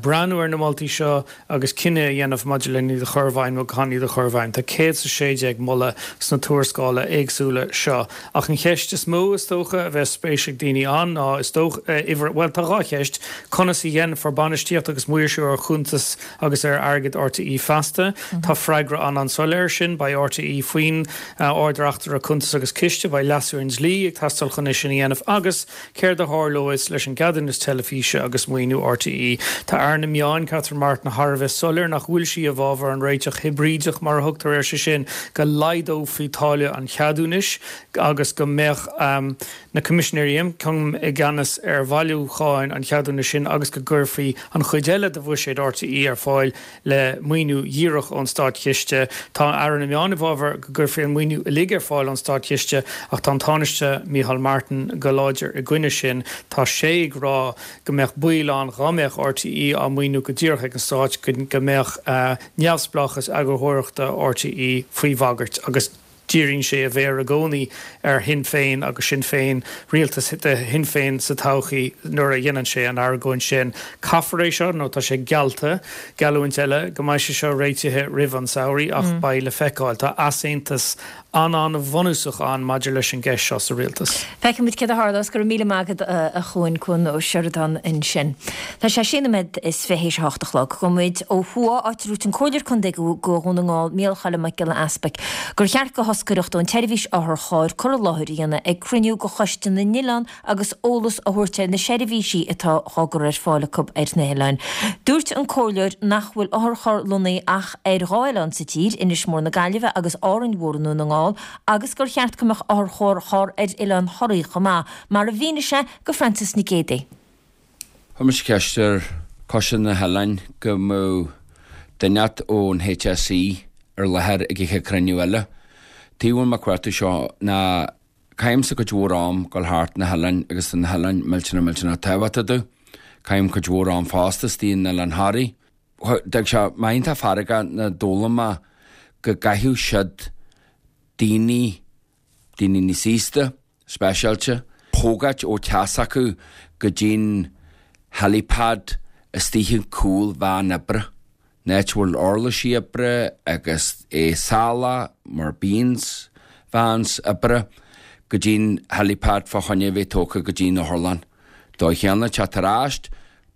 breathnú ar na moltaí seo agus cinneadh a dhéanamh maidir len iad a chur i bhfeidhm nó gan iad a chur i bhfeidhm. Tá 116 moladh sna tuarascála éagsúla seo. Ach an cheist is mó, is dócha, a bheas spéis ag daoine ann ná, is dócha, uimhir, bhuel, tá dhá cheist, conas a dhéanfar bainistíocht agus maoirsiú ar chuntais agus ar airgead RTÉ feasta. Tá freagra an-an-soiléir air sin. Beidh RTÉ faoin Ard-Reachtaire Cuntas agus Ciste. Beidh leasú ar an dlí ag teastáil chun é sin a dhéanamh. Agus céard a tharlóidh leis an gceadúnas teilifíse agus maoiniú RTÉ? Tá Aire na Meán, Catherine Martin, thar a bheith soiléir nach bhfuil sí i bhfabhar an réiteach hibrídeach, mar a thugtar air, sé sin, go laghdófaí táille an cheadúnais agus go mbeadh na Coimisinéirí Ioncaim i gceannas ar bhailiúcháin an cheadúnais sin agus go gcuirfí an chuid eile de bhuiséad RTÉ ar fáil le maoiniú dhíreach ón Státchiste. Tá Aire na Meán i bhfabhar go gcuirfí an maoiniú uilig ar fáil ón Státchiste ach tá an Tánaiste Micheál Martin go láidir i gcoinne sin. Tá sé ag rá go mbeadh baol ann dhá mbeadh RTÉ á maoiniú go díreach ag an Stát go mbeadh neamhspleáchas eagarthóireachta RTÉ faoi bhagairt agus Díríonn sé a mhéar i gcónaí ar Shinn Féin agus Sinn Féin, rialtas de Shinn Féin sa todhchaí nuair a dhéanann sé an argóint sin. Caithfear é seo, nó tá sé geallta, geallúint eile, go mbeidh sé seo réitithe roimh an samhradh ach beidh le feiceáil. Tá easaontas an-an-bhunúsach ann maidir leis an gceist seo sa rialtas. Feicfidh muid céard a tharlós. Go raibh míle maith agat a Chuain, Cuan Ó Seireadáin ansin. Tá sé sé nóiméad is fiche théis a hocht a chlog. Gabhfaidh muid ó thuaidh, áit a dúirt an Comhairleoir Contae do Dhún na nGall, Micheál Choilm Mac Giolla Easpaig, gur cheart do thoscaireacht ón tseirbhís otharchairr cur i láthair a dhéanamh ag cruinniú de Choiste na nOileán agus eolas a thabhairt ar na seirbhísí atá á gcur ar fáil acu ar na hoileáin. Dúirt an Comhairleoir nach bhfuil otharcharr lonnaithe ach ar dhá oileán sa tír, Inis Mór na Gaillimhe agus Árainn Mhór i nDún na nGall, agus gur cheart go mbeadh otharcharr ar Oileán Thoraí chomh maith, mar a mhínigh sé do Frances Nic Géadaigh. Chuir mise ceist ar Choiste na nOileán go mbeadh duine inteacht ón HSE ar láthair ag an chéad chruinniú eile. Tuige a bhfuil mé ag cuartú seo ná caithimse cuid mhór am dul thart na hoileáin agus tá na hoileáin millteanach millteanach tábhachtach domh. Caithim cuid mhór am fosta istigh in Oileán Thoraí. D'fhág sé mé iontach feargach nuair a d'fhoghlaim mé go gcaithfeadh siad daoine, daoine níos aosta, speisialta, thógáilt ó teach s'acu go dtí'n helipad istigh in cúl veain oibre, an áit a bhfuil uirlisí oibre agus é salach mar bíonns vans oibre, go dtí'n helipad fá choinne a bheith tógtha go dtí'n otharlann. Dóigh chéanna teacht ar ais,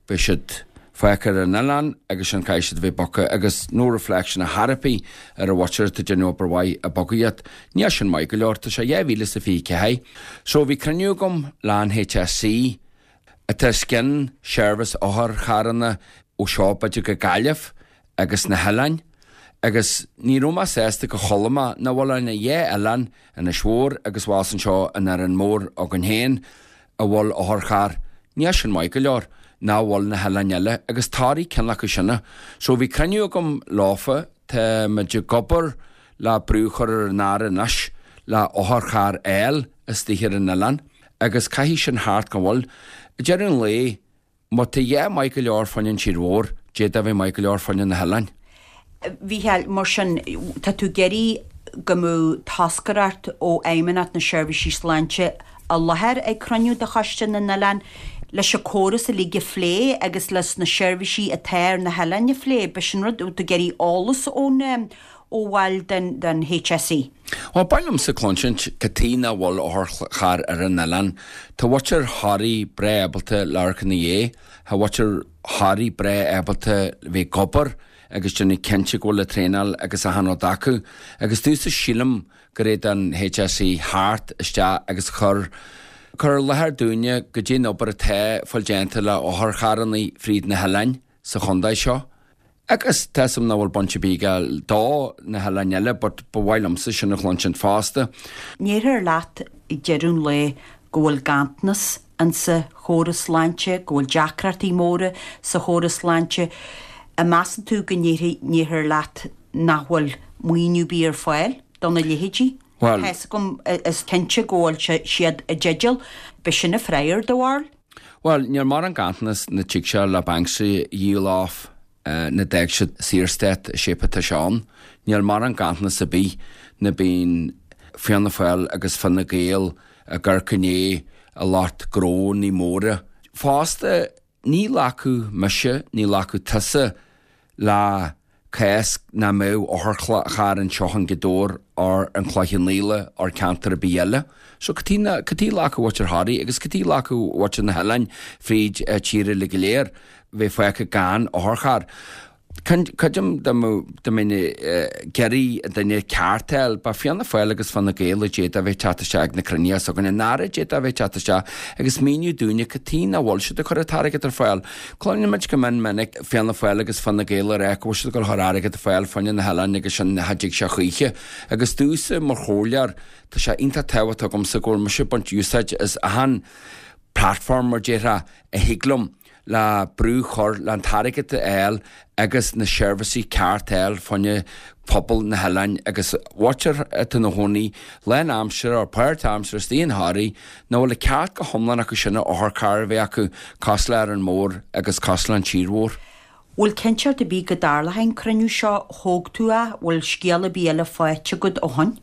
Beidh siad fágtha ar an oileán agus sin caithfidh siad a bheith bogtha agus no reflection ar chor ar bith ar an mhuintir atá ag déanamh obair mhaith ag bogadh iad. Níl sin maith go leor, tá sé 2024. So bhí cruinniú agam le an HSE atá os cionn seirbhís otharcharranna ó seo b'fhéidir go Gaillimh agus na hoileáin agus ní raibh mé sásta go chuala mé nach bhfuil ach dhá oileán, Inis Mhór agus abhus anseo in Árainn Mhór againn féin, a bhfuil otharcharr, níl sin maith go leor, nach bhfuil na hoileáin eile, agus Toraigh ceann acu sin. So bhí cruinniú agam leofa, tá muid ag obair le brú a chur ar an Aire anois le otharcharr a fháil istigh ar an oileán agus caithfidh sin theacht gan mhoill. Ag deireadh an lae, Má tá a dhath maith go leor fá choinne an tír mhór, d'fhéadfadh a bheith maith go leor fá choinne na hoileáin. A Mhícheáil, mar sin, tá tú ag iarraidh go mbeadh toscaireacht ó Fheidhmeannacht na Seirbhísí Sláinte i láthair ag cruinniú de Choiste na nOileán leis an córas uilig a phlé agus leis na seirbhísí atá ar na hoileáin a phlé. B'shin rud, tú ag iarraidh eolas ón ó bhaill den HSE. Bhuel, ba mhaith liomsa cluinsint cad tuige nach bhfuil otharcharr ar an oileán. Tá muintir Thoraí breá ábalta labhairt ina dhiaidh. Tá muintir Thoraí breá ábalta bheith ag obair agus déanamh cinnte go bhfuil an traenáil agus achan rud acu. Agus domhsa sílim gur fhéad an HSE theacht isteach agus cur cur i láthair dúinne goidé an obair atá fáil déanta le otharcharrannaí fríd na hoileáin sa chontae seo. Agus tá 'fhios a'm nach bhfuil baint ar bith aige do na hoileáin eile but ba mhaith liomsa sin a chluinsint fosta. Ndéarfá leat ag deireadh an lae go bhfuil ganntanas insa chóras sláinte, go bhfuil deacrachtaí móra sa chóras sláinte. An measann tú go ndéarfar leat nach bhfuil maoiniú ar bith ar fáil do na leithéidí? Bhuel. Tá 'fhios agam, is cinnte go bhfuil siad i dteideal. B'shin an freagra, do bharúil? Bhuel, níl mórán ganntanas na dtig sé le banks a dhíol off na d'fhág siad Saorstát i shape atá sé ann. Níl mórán ganntanas ar bith na bíonn Fianna Fáil agus Fine Gael ag amharc i ndiaidh a lucht gnónnaí móra. Fosta, ní ghlacfadh mise, ní ghlacfadh tusa le cás nach mbeadh otharcharr anseo in Gaoth Dobhair or an Cloich Cheann Fhaola or ceantar ar bith eile. So cad chuige, cad chuige a nglacfadh muintir Thoraí agus cad chuige a nglacfadh muintir na hoileáin fríd tír uile go léir bheith fágtha gan otharcharr. Creidim dá mbeinn ag iarraidh an duine ceart a fháil, ba Fianna Fáil agus Fine Gael a d'fhéadfadh a bheith ag teacht isteach ag na cruinnithe s'againne, an Aire a d'fhéadfadh a bheith ag teacht isteach agus míniú dúinne cad chuige nach bhfuil siad ag cur an t-airgead ar fáil. Cluineann muid go mion minic Fianna Fáil agus Fine Gael ag rá go bhfuil siad ag dul a chur airgead ar fáil fá choinne na hoileáin agus sin cha dtig sé choíche. Agus domhsa mar chomhairleoir, tá sé iontach tábhachtach agamsa go bhfuil mise ag baint úsáid as achan platform mar déarfá a thig liom le brú chur le an t-airgead a fháil agus na seirbhísí ceart a fháil fá choinne pobal na hoileáin agus mhuintir atá ina chónaí lán aimsire or páirt aimsire istigh in Thoraí nach bhfuil an ceart go hiomlán acu sin a otharcharr a bheith acu cosúil le Árainn Mhór agus cosúil le an tír mhór. Bhfuil cinnteacht ar bith go dtarlóidh an cruinniú seo, thóg tú é, bhfuil scéal ar bith eile faighte agat ó shoin?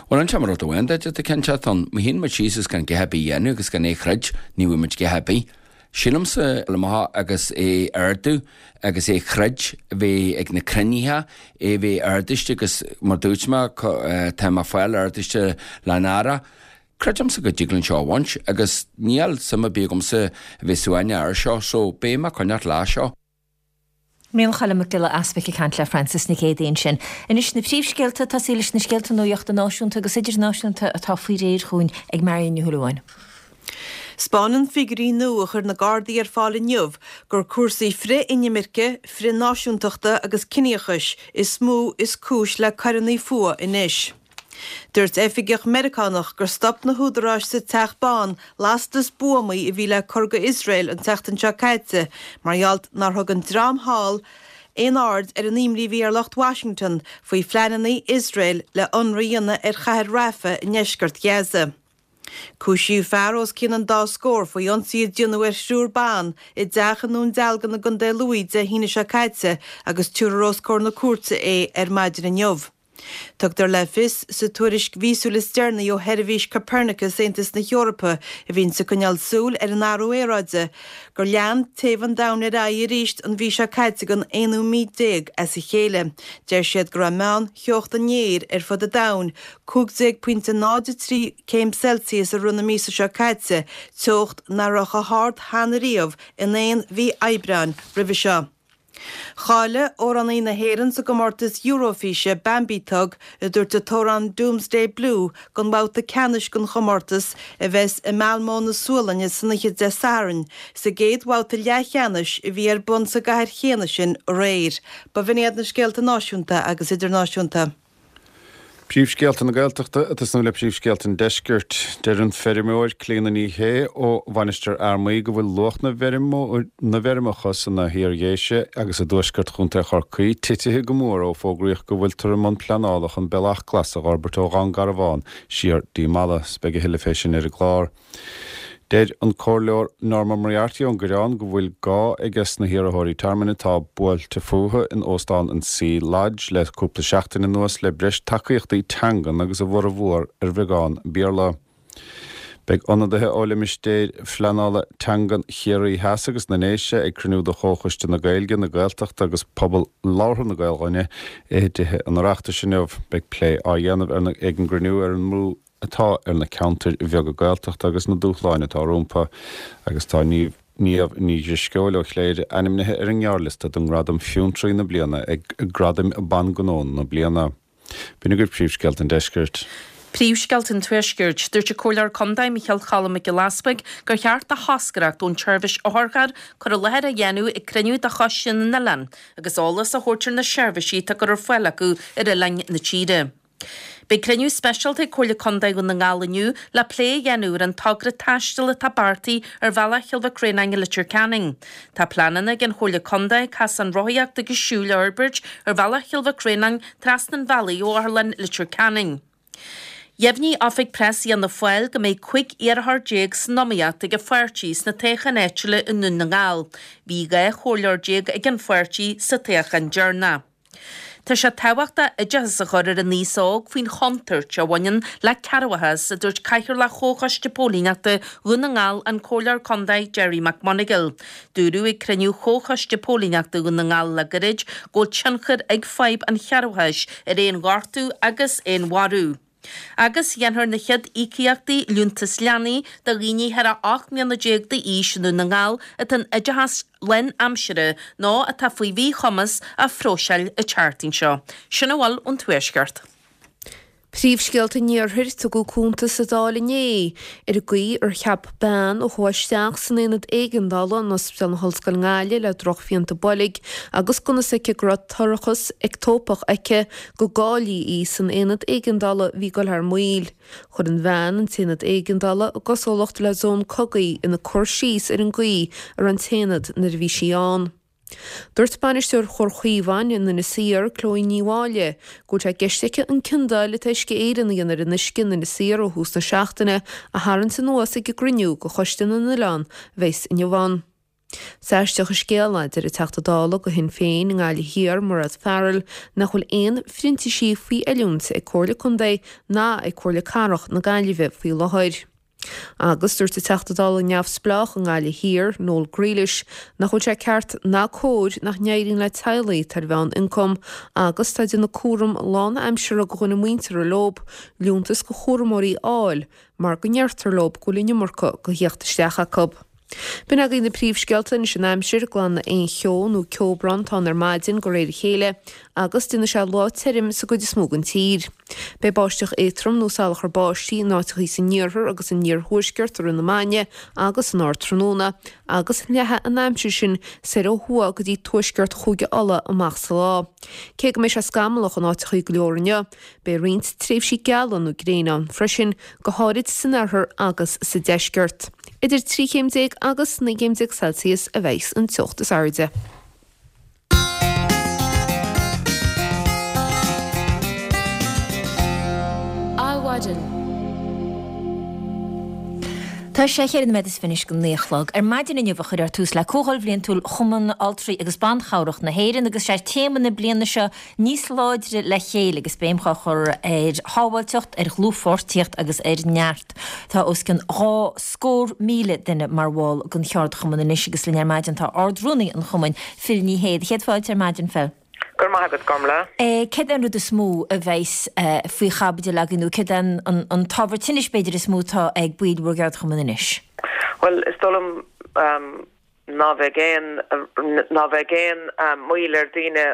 Bhuel, inseoidh mé rud amháin duit atá cinnteacht ann. Má shuíonn muid síos is gan a dhath ar bith a dhéanamh agus gan é a throid, ní bhfaighidh muid a dhath ar bith. Sílimse le maith agus é ardú agus é throid bheith ag na cruinnithe, é bheith ardaiste agus mar dúirt mé tá mé ag fáil ardaiste le'n Aire. Creidimse go dtig linn seo a bhaint agus níl suim ar bith agamsa a bheith suaimhneach air seo so beidh mé ag coinneáilt leis seo. Micheál Choilm Mac Giolla Easbuic ag caint le Frances Nic Géadaigh ansin. Anois na príomhscéalta, tosaí leis na scéalta nuachta náisiúnta agus idirnáisiúnta atá faoi réir chugainn ag Marion Ní Shúilleabháin. 'Spáineann figiúirí nua a chuir na Gardaí ar fáil inniu gur cúrsaí frith-inimirce, frith-náisiúntachta agus ciníochais is mó is cúis le coireanna fuatha anois. Dúirt oifigeach Meiriceánach gur stop na húdaráis sa Teach Bán lastas buamaí a bhí le cur go Iosrael an tseachtain seo caite mar gheall nár thug an dream thall aon aird ar an imní a bhí ar lucht Washington faoi phleananna Iosrael le ionradh a dhéanamh ar chathair Rafah i ndeisceart Ghaza. Cúisíodh fear os cionn an dá scór faoi ionsaí a déanadh ar thriúr ban i dteach i nDún Dealgan i gContae Lú Dé hAoine seo caite agus tabharfar os comhair na cúirte é ar maidin inniu. Tugtar le fios sa tuairisc mhíosúil is deireanaí ó sheirbhís Copernicus Aontas na hEorpa, a bhíonns ag coinneáil súil ar an athrú aeráide, gur lean téamh an domhain ar aghaidh arís an mhí seo caite don aonú mí déag as a chéile. Deir siad go raibh meán-theocht an aeir ar fud an domhain 15.03 céim Celsius i rith na míosa seo caite, teocht nach raibh chomh hard cheana riamh in aon mhí Aibreáin roimhe seo. Cháiligh amhránaí na hÉireann sa gcomórtas Eurofíse, Bambie Thug, ag tabhairt an t-amhrán Doomsday Blue don bhabhta ceannais den chomórtas a bheas i Malmö na Sualainne san oíche Dé Sathairn, sa gcéad bhabhta leathcheannais a bhí ar bun sa gcathair chéanna sin aréir. B'in iad na scéalta náisiúnta agus idirnáisiúnta. Príomhscéalta na Gaeltachta ag tosnú le príomhscéalta an Deiscirt. Deir an feirmeoir Clíona Ní Shé ó Mhainistir Fhear Maí go bhfuil luach na bhfeirmeacha sna hIar-Dhéise agus i dtuaisceart Chontae Chorcaí titithe go mór ó fógraíodh go bhfuiltear i mbun pleanála chun bealach glas a dh'fhorbairt ó Dhún Garbhán siar dtí Mala. Beidh a thuilleadh fé sin ar an gclár. Deir an Comhairleoir Norma Moriarty ón gCoireán go bhfuil gá aiges na hiarrthóirí tearmainn atá buailte fúthu in Óstán an Sea Lodge le cúpla seachtain anuas le breis tacaíochtaí teangan agus a bhformhór ar bheagán Béarla. Beidh ionadaithe ó limistéir phleanála teangan Chiarraí Theas agus na nDéise ag cruinniú de Chomhchoiste na Gaeilge, na Gaeltachta agus Pobal Labhartha na Gaoluinne i dTithe an Oireachtais inniu. Beidh plé á dhéanamh ag an gcruinniú ar an mbrú atá ar na ceantair bheaga Gaeltachta agus na dúshláin atá rompu agus tá Niamh Ní Dhrisceoil ó Chléire ainmnithe ar an ngearrliosta don ngradam Fiontraí na Bliana ag Gradaim Ban Gnó na Bliana. B'in agaibh príomhscéalta an deiscirt. Príomhscéalta an Tuaiscirt. Dúirt an Comhairleoir Contae Micheál Cholm Mac Giolla Easbuig gur cheart do thoscaireacht ón tseirbhís otharcharr cur i láthair a dhéanamh ag cruinniú de Choiste na nOileán agus eolas a thabhairt ar na seirbhísí atá á gcur ar fáil acu ar oileáin na tíre. Beidh cruinniú speisialta ag Comhairle Contae Dhún na nGall inniu le plé a dhéanamh ar an togra taistil atá beartaithe ar bhealach Chill Mhic Réanáin i Leitir Ceanainn. Tá pleananna ag an Chomhairle Contae casán rothaíochta agus siúil a fhorbairt ar bhealach Chill Mhic Réanáin trasna an bhealaigh ó Otharlann Leitir Ceanainn. Dheimhnigh Oifig Preas Fhianna Fáil go mbeidh 15 iarrthóir san iomaíocht ag an pháirtí sna toghcháin áitiúla i nDún na nGall. Bhí 12 chomhairleoir ag an pháirtí sa toghchán deireanach. Tá sé tábhachtach oideachas a chur ar an aos óg faoin chontúirt a bhaineann le cearrbhachas, a dúirt Cathaoirleach Chomhchoiste Póilíneachta Dhún na nGall, an Comhairleoir Contae Gerry McMonagall. Dúradh ag cruinniú Chomhchoiste Póilíneachta Dhún na nGall le gairid go bhfuil tionchar ag fadhb an chearrbhachais ar aon ghortú agus aon mharú. Agus dhéanfar na chéad íocaíochtaí Liúntas Leanaí do dhaoine thar a 18 mbliana d'aois i nDún na nGall atá in oideachas lánaimseartha nó atá faoi mhíchumas a phróiseáil an tseachtain seo. Sin a bhfuil ón Tuaisceart. Príomhscéalta an Iarthair, Tugadh cuntas sa Dáil inné ar an gcaoi ar cheap bean a chuaigh isteach san aonad éigeandála in Ospidéal na hOllscoile i nGaillimh le drochphianta boilg agus gan fhios aici go raibh toircheas eicteopach aici go gcáilíodh í san aonad éigeandála a bhí ag dul thar maoil. Chuir an bhean an t-aonad éigeandála i gcosúlacht le zón cogaidh ina cur síos ar an gcaoi a raibh an t-aonad nuair a bhí sí ann. Dúirt bainisteoir Chomhar Chaomháin in Inis Oírr, Chloe Ní Mháille, go bhfuil sé i gceist aici an ciondáil atá Uisce Éireann a dhéanamh ar an uisce in Inis Oírr ó thús na seachtaine a tharraingt anuas ag an gcruinniú de Choiste na nOileán a bheas inniu ann. Is aisteach an scéal é, deir an Teachta Dála do Shinn Féin i nGaillimh Thiar, Mairéad Farrell, nach bhfuil aon phrintísigh faoi oiliúint ag Comhairle Contae ná ag Comhairle Cathrach na Gaillimhe faoi láthair. Agus dúirt an Teachta Dála neamhspleách i nGaillimh Thiar, Noel Grealish, nach bhfuil sé ceart ná cóir nach n-éiríonn le teaghlaigh atá ar mheán-ioncam agus atá ag déanamh cúram lán-aimseartha do dhuine muinteartha leob, liúntas do chúramóirí a fháil mar go ndeirtear leob go bhfuil an iomarca de theacht isteach acu. B'in agaibh na príomhscéalta anois an aimsir, glanfaidh aon cheo nó ceobrán atá ann ar maidin de réir a chéile agus déanfaidh sé lá tirim sa gcuid is mó den tír. Beidh báisteach éadtrom nó salachar báistí in áiteachaí san iarthar agus san iarthuaisceart i rith na maidne agus san ardtráthnóna agus leathfaidh an aimsir sin soir ó thuaidh go dtí tuaisceart Chúige Uladh amach sa lá. Cé go mbeidh sé scamallach in áiteachaí go leor inniu, Beidh roinnt tréimhsí geala nó gréine ann freisin, go háirid san oirthear agus sa deisceart. Idir 13 chéim agus 19 gcéim Celsius a bheidh an teocht is airde. Adhmhaidin. Tá sé cheithre nóiméad is fiche anois go 9 a chlog. Ar maidin inniu a cuirfear tús le Comhdháil Bhliantúil Chumann Altraí agus Ban Chabhrach na hÉireann agus sé téama na bliana seo níos láidre le chéile agus béim á chur ar shábháilteacht, ar dhlúthpháirtíocht agus ar neart. Tá os cionn 200,000 duine mar bhall den cheardchumann anois agus linn ar maidin tá Ard-Rúnaí an chumainn, Phil Ní Sheaghdha. Céad fáilte ar maidin, Phil. Go raibh maith agat, Gormlaith. Céard é an rud is mó a bheas faoi chaibidil agaibh nó céard é an t-ábhar tinnis b'fhéidir is mó atá ag baill bhur gceardchumainn anois? Bhuel, is dóigh liom Ná bheidh aon, ná bheidh aon moill ar daoine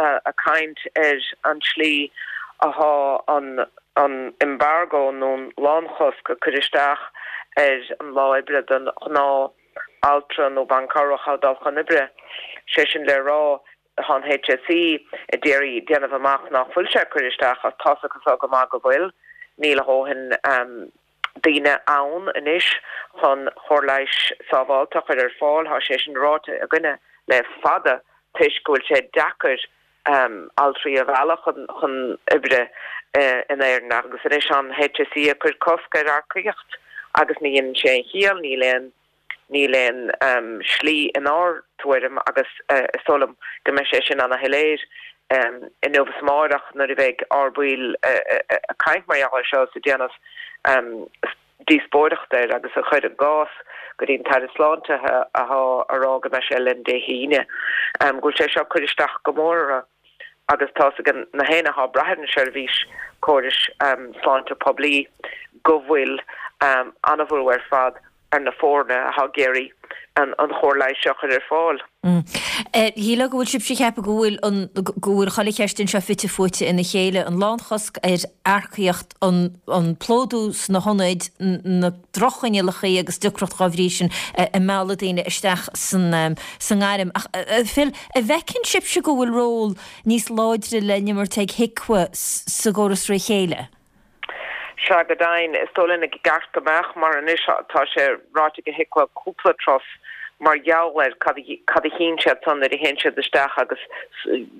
a caint ar an tslí athá an an embargo nó an lánchosc a cuireadh isteach ar an lá oibre don ghnáth altra nó bean cabhrach a dul chun oibre. Sé sin le rá, Tá an HSE a d'iarraidh déanamh amach nach bhfuil sé ag cur isteach ach tá's acu go maith go bhfuil. Níl a dhóthain daoine ann anois chun chóir leighis sábháilte a chur ar fáil. Tá sé sin ráite againne le fada toisc go bhfuil sé deacair altraí a mhealladh chun oibre in Éirinn agus anois tá an HSE ag cur cosc ar earcaíocht agus ní dhéanann sé aon chiall, níl aon Níl aon slí inár dtuairim agus is dóigh liom go mbeidh sé sin ana-shoiléir inniu is amáireach nuair a bheidh ár baill ag caint mar gheall air seo is ag déanamh díospóireacht air agus ag cur a gcás go dtí an tAire Sláinte athá a rá go mbeidh sé linn Dé hAoine go bhfuil sé seo ag cur isteach go mór orthu agus tá's ag na héinne athá ag brath ar an seirbhís córais sláinte poiblí go bhfuil ana-bhrú ar fad ar na foirne athá ag iarraidh an chóir leighis seo a chur ar fáil. Shílfeá go bhfuil sibhse ag ceapadh go bhfuil an, go bhfuil chuile cheist anseo fite fuaite ina chéile, an lánchosc ar earcaíocht, an, an plódú sna hionaid, na droch-choinníollacha agus deacracht dhá bhrí sin ag mealladh daoine isteach san, sa ngairm. Ach Phil, an bhfeiceann sibhse go bhfuil ról níos láidre le n-imirt ag HIQA sa gcóras fré chéile? Sea, go deimhin, is dóigh linn i gceart go mbeadh, mar anois tá sé ráite ag HIQA cúpla turas mar gheall ar cad a chíonn siad san nuair a théann siad isteach agus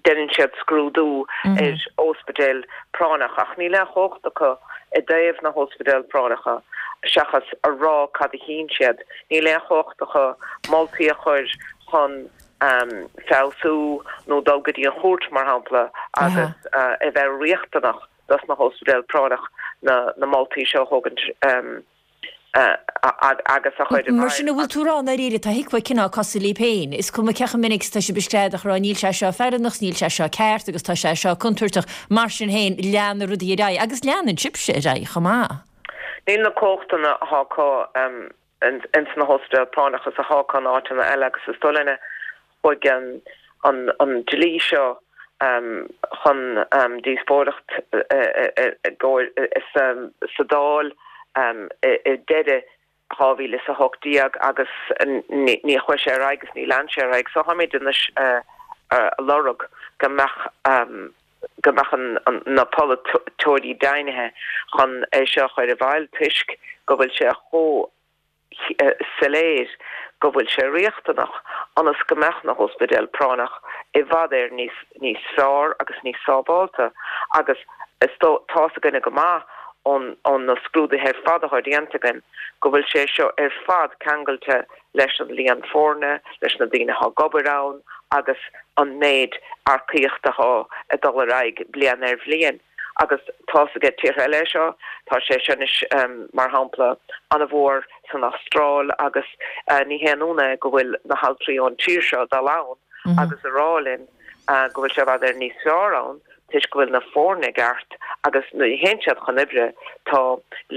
deineann siad scrúdú ar óspidéal práinneach ach níl aon chumhacht acu i dtaobh na hóspidéal práinneacha seachas a rá cad a chíonn siad. Níl aon chumhacht acu moltaí a chur chun feabhsú nó dul go dtí an chúirt mar shampla agus a bheith riachtanach. dos na hóspidéil práinneach na moltaí seo a thógaint agus a chur i Mar sin, an bhfuil tú ag rá i ndáiríre, tá HIQA cineál cosúil libh féin, is cuma cé chomh minic is atá sibh ag screadach ag rá níl sé seo feiliúnach, níl sé seo ceart agus tá sé seo contúirteach, mar sin féin, lean na rudaí ar aghaidh agus leanann sibhse ar aghaidh chomh maith. Níl na cumhachtanna atá acu ins na hóspidéil práinneach is athá acu in áiteanna eile agus is dóigh linne chuaigh an dlí seo chun díospóireacht sa Dáil i deireadh 2018 agus ní chuaigh sé ar aghaidh agus ní lean sé ar aghaidh so táimid anois a lorg go mbeadh go mbeadh na polaiteoirí deimhnithe chun é seo a chur i bhfeighil toisc go bhfuil sé chomh soiléir go bhfuil sé riachtanach ionas go mbeadh na hóspidéil práinneach i bhfad Éireann níos níos fearr agus níos sábháilte agus is tá's againne go maith ón ón na scrúduithe ar fad atá déanta againn go bhfuil sé seo ar fad ceangailte leis an líon foirne, leis na daoine atá ag obair ann agus an méid earcaíochta atá ag dul ar aghaidh bliain ar bhliain. Agus tá's aige tíortha eile é seo, tá sé seo anois, mar shampla, an-mhór san Astráil agus ní haon ionadh é go bhfuil na haltraí ón tír seo ag dul ann agus a rá linn go bhfuil sé i bhfad Éireann níos fearr ann toisc go bhfuil na foirne i gceart agus nuair a théann siad chun oibre tá